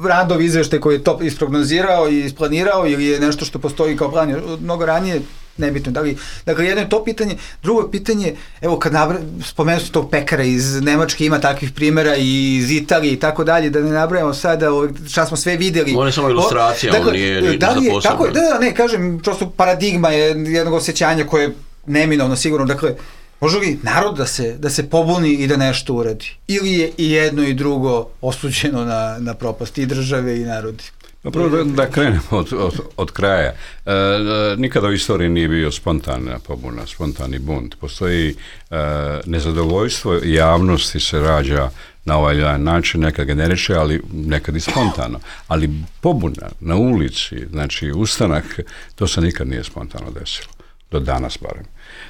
C: Radov izveštaj koji je to isprognozirao i isplanirao ili je nešto što postoji kao plan mnogo ranije? Nebitno, da li, dakle, jedno je to pitanje, drugo pitanje, evo kad nabra, spomenuo sam tog pekara iz Nemačke, ima takvih primjera i iz Italije i tako dalje, da ne nabrajamo sada šta smo sve vidjeli.
D: On je samo ilustracija, dakle, on nije ni
C: da
D: za posebno.
C: Tako je, da, da, ne, kažem, prosto paradigma je jednog osjećanja koje je neminovno sigurno, dakle, može li narod da se, da se pobuni i da nešto uradi? Ili je i jedno i drugo osuđeno na, na propast i države i narodi?
E: Prvo da, da krenemo od, od, od kraja. E, nikada u istoriji nije bio spontana pobuna, spontani bunt. Postoji e, nezadovoljstvo javnosti se rađa na ovaj način, nekad generiše, ali nekad i spontano. Ali pobuna na ulici, znači ustanak, to se nikad nije spontano desilo. Do danas barem.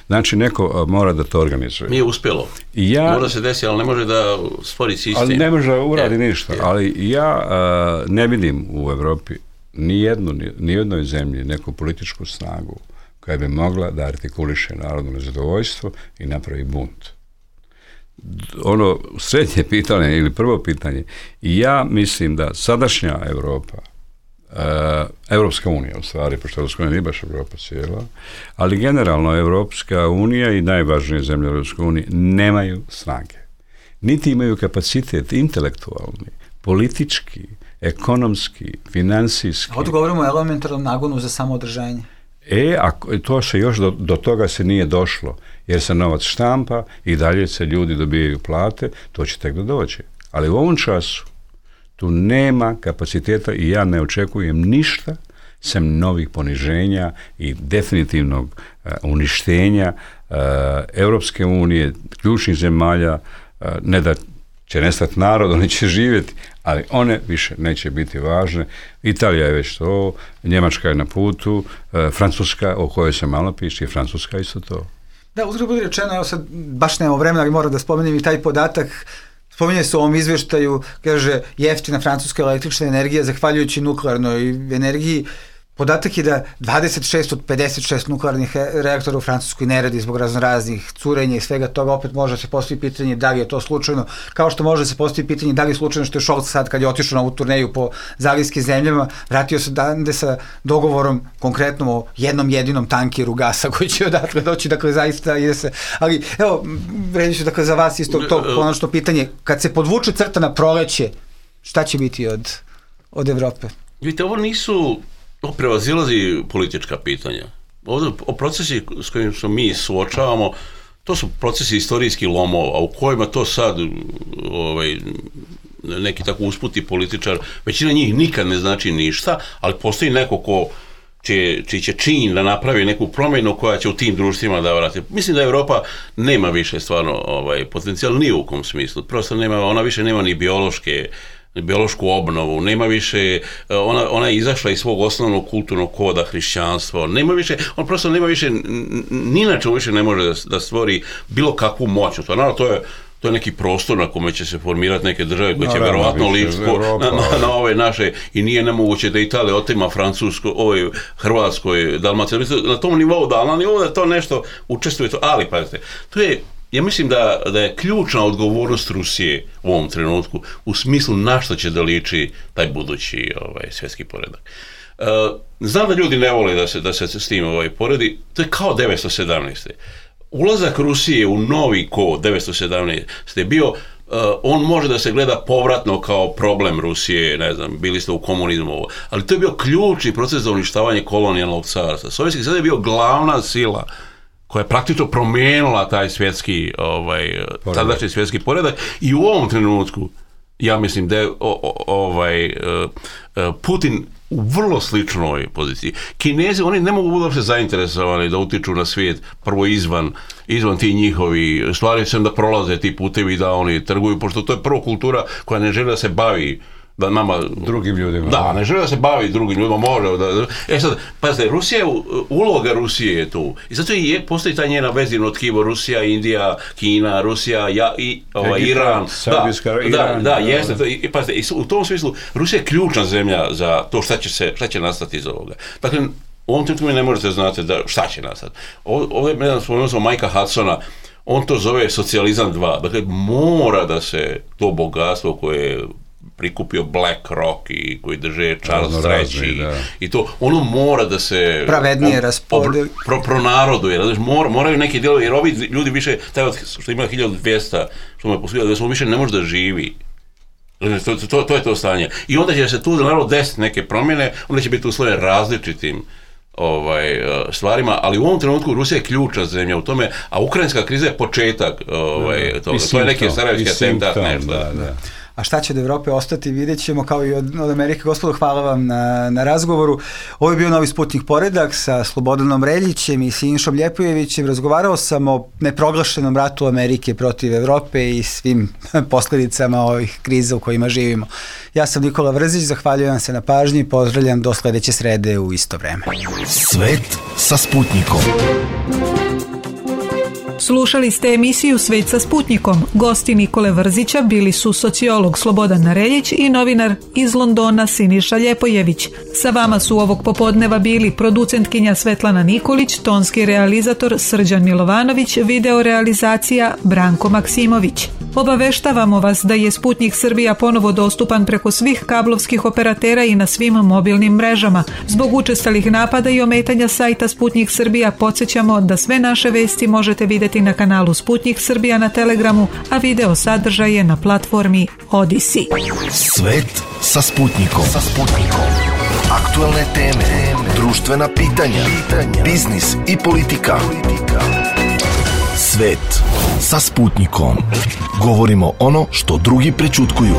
E: Znači, neko mora da to organizuje.
D: Nije uspjelo.
E: Ja,
D: Možda se desi, ali ne može da stvori sistem.
E: Ali ne može uradi
D: je,
E: ništa. Je. Ali ja uh, ne vidim u Evropi ni jednu, ni jednoj zemlji neku političku snagu koja bi mogla da artikuliše narodno nezadovoljstvo i napravi bunt. Ono srednje pitanje ili prvo pitanje, ja mislim da sadašnja Evropa, Uh, Evropska unija u stvari, pošto Evropska unija nije baš Evropa cijela, ali generalno Evropska unija i najvažnije zemlje Evropske unije nemaju snage. Niti imaju kapacitet intelektualni, politički, ekonomski, financijski.
C: A ovdje govorimo o elementarnom nagonu za samoodržanje.
E: E, a to se još do, do toga se nije došlo, jer se novac štampa i dalje se ljudi dobijaju plate, to će tek da dođe. Ali u ovom času tu nema kapaciteta i ja ne očekujem ništa sem novih poniženja i definitivnog uh, uništenja uh, Europske unije, ključnih zemalja, uh, ne da će nestati narod, oni će živjeti, ali one više neće biti važne. Italija je već to, Njemačka je na putu, uh, Francuska, o kojoj se malo piše, i Francuska isto to.
C: Da, uzgled bude rečeno, evo sad baš nemamo vremena, ali moram da spomenem i taj podatak. Spominje se u ovom izvještaju, kaže, jeftina francuska električna energija zahvaljujući nuklearnoj energiji. Podatak je da dvadeset šest od pedeset šest nuklearnih reaktora u Francuskoj ne radi zbog raznoraznih curenja i svega toga. Opet može se postaviti pitanje da li je to slučajno, kao što može se postaviti pitanje da li je slučajno što je Scholz sad kad je otišao na ovu turneju po zalivskim zemljama, vratio se dande sa dogovorom konkretno o jednom jedinom tankeru gasa koji će odatle doći, dakle zaista ide se. Ali evo, vredi ću dakle za vas isto to konačno pitanje, kad se podvuče crta na proleće, šta će biti od, od Evrope?
D: Vidite, ovo nisu To prevazilazi politička pitanja. Ovdje o procesi s kojim se mi suočavamo, to su procesi istorijskih lomova, a u kojima to sad ovaj, neki tako usputi političar, većina njih nikad ne znači ništa, ali postoji neko ko će, čiji će čin da napravi neku promjenu koja će u tim društvima da vrati. Mislim da Evropa nema više stvarno ovaj, potencijal ni u kom smislu. Prosto nema, ona više nema ni biološke biološku obnovu, nema više, ona, ona je izašla iz svog osnovnog kulturnog koda hrišćanstva, nema više, on prosto nema više, ni na čemu više ne može da, da stvori bilo kakvu moćnost. Naravno, to je, to je neki prostor na kome će se formirati neke države koje će verovatno lidsko na, na, na ove naše, i nije nemoguće da Italija otima Francusko, ovoj Hrvatskoj, Dalmaciji, na tom nivou, da, na nivou da to nešto učestvuje, to, ali pazite, to je, ja mislim da, da je ključna odgovornost Rusije u ovom trenutku u smislu na što će da liči taj budući ovaj, svjetski poredak. Uh, znam da ljudi ne vole da se, da se s tim ovaj, poredi, to je kao devetsto sedamnaeste. Ulazak Rusije u novi kod devetsto sedamnaeste je bio, uh, on može da se gleda povratno kao problem Rusije, ne znam, bili ste u komunizmu, ali to je bio ključni proces za uništavanje kolonijalnog carstva. Sovjetski sad je bio glavna sila koja je praktično promijenila taj svjetski, ovaj, tadašnji svjetski poredak, i u ovom trenutku, ja mislim da je o, o, ovaj, Putin u vrlo sličnoj poziciji. Kinezi, oni ne mogu uopće zainteresovani da utiču na svijet prvo izvan, izvan ti njihovi stvari, sem da prolaze ti putevi, da oni trguju, pošto to je prvo kultura koja ne želi da se bavi da nama...
E: Drugim ljudima.
D: Da, ne želi da se bavi drugim ljudima, može da... E sad, pazite, Rusija, uloga Rusije je tu. I zato i je, postoji ta njena vezivno tkivo Rusija, Indija, Kina, Rusija, ja, i, ovaj,
E: Egipat,
D: Iran.
E: Saudijska,
D: da,
E: Iran.
D: Da, da, jeste. To, i, pazite, i u tom smislu, Rusija je ključna zemlja za to šta će, se, šta će nastati iz ovoga. Dakle, u ovom trenutku mi ne možete znati da, šta će nastati. Ovdje, ne znam, spomenuo sam Majka Hudsona, on to zove socijalizam dva. Dakle, mora da se to bogatstvo koje je prikupio BlackRock i koji drže Charles treći i to, ono mora da se
C: pravednije raspodeli.
D: Pro, pronaroduje, znači mor, moraju neki dijelovi, jer ovi ljudi više, taj što ima hiljadu dvjesto, što mu je poslužio, da se on više ne može da živi. To, to, to je to stanje. I onda će se tu naravno desiti neke promjene, onda će biti uslovljene različitim ovaj, stvarima, ali u ovom trenutku Rusija je ključna zemlja u tome, a ukrajinska kriza je početak ovaj, toga. To je neki sarajevski atentat, nešto.
E: Da, da.
C: A šta će od Evrope ostati, vidjet ćemo, kao i od, od Amerike. Gospodo, hvala vam na, na razgovoru. Ovo je bio Novi Sputnik poredak sa Slobodanom Reljićem i Sinišom Ljepojevićem. Razgovarao sam o neproglašenom ratu Amerike protiv Evrope i svim posljedicama ovih kriza u kojima živimo. Ja sam Nikola Vrzić, zahvaljujem vam se na pažnji i pozdravljam do sledeće srede u isto vreme.
A: Svet sa Sputnikom.
B: Slušali ste emisiju Svet sa Sputnikom. Gosti Nikole Vrzića bili su sociolog Slobodan Reljić i novinar iz Londona Siniša Ljepojević. Sa vama su ovog popodneva bili producentkinja Svetlana Nikolić, tonski realizator Srđan Milovanović, video realizacija Branko Maksimović. Obaveštavamo vas da je Sputnik Srbija ponovo dostupan preko svih kablovskih operatera i na svim mobilnim mrežama. Zbog učestalih napada i ometanja sajta Sputnik Srbija podsjećamo da sve naše vesti možete vidjeti na kanalu Sputnik Srbija na Telegramu, a video sadržaj je na platformi Odisi.
A: Svet sa Sputnikom. Sa Sputnikom. Aktualne teme, društvena pitanja, biznis i politika. Svet sa Sputnikom. Govorimo ono što drugi prećutkuju.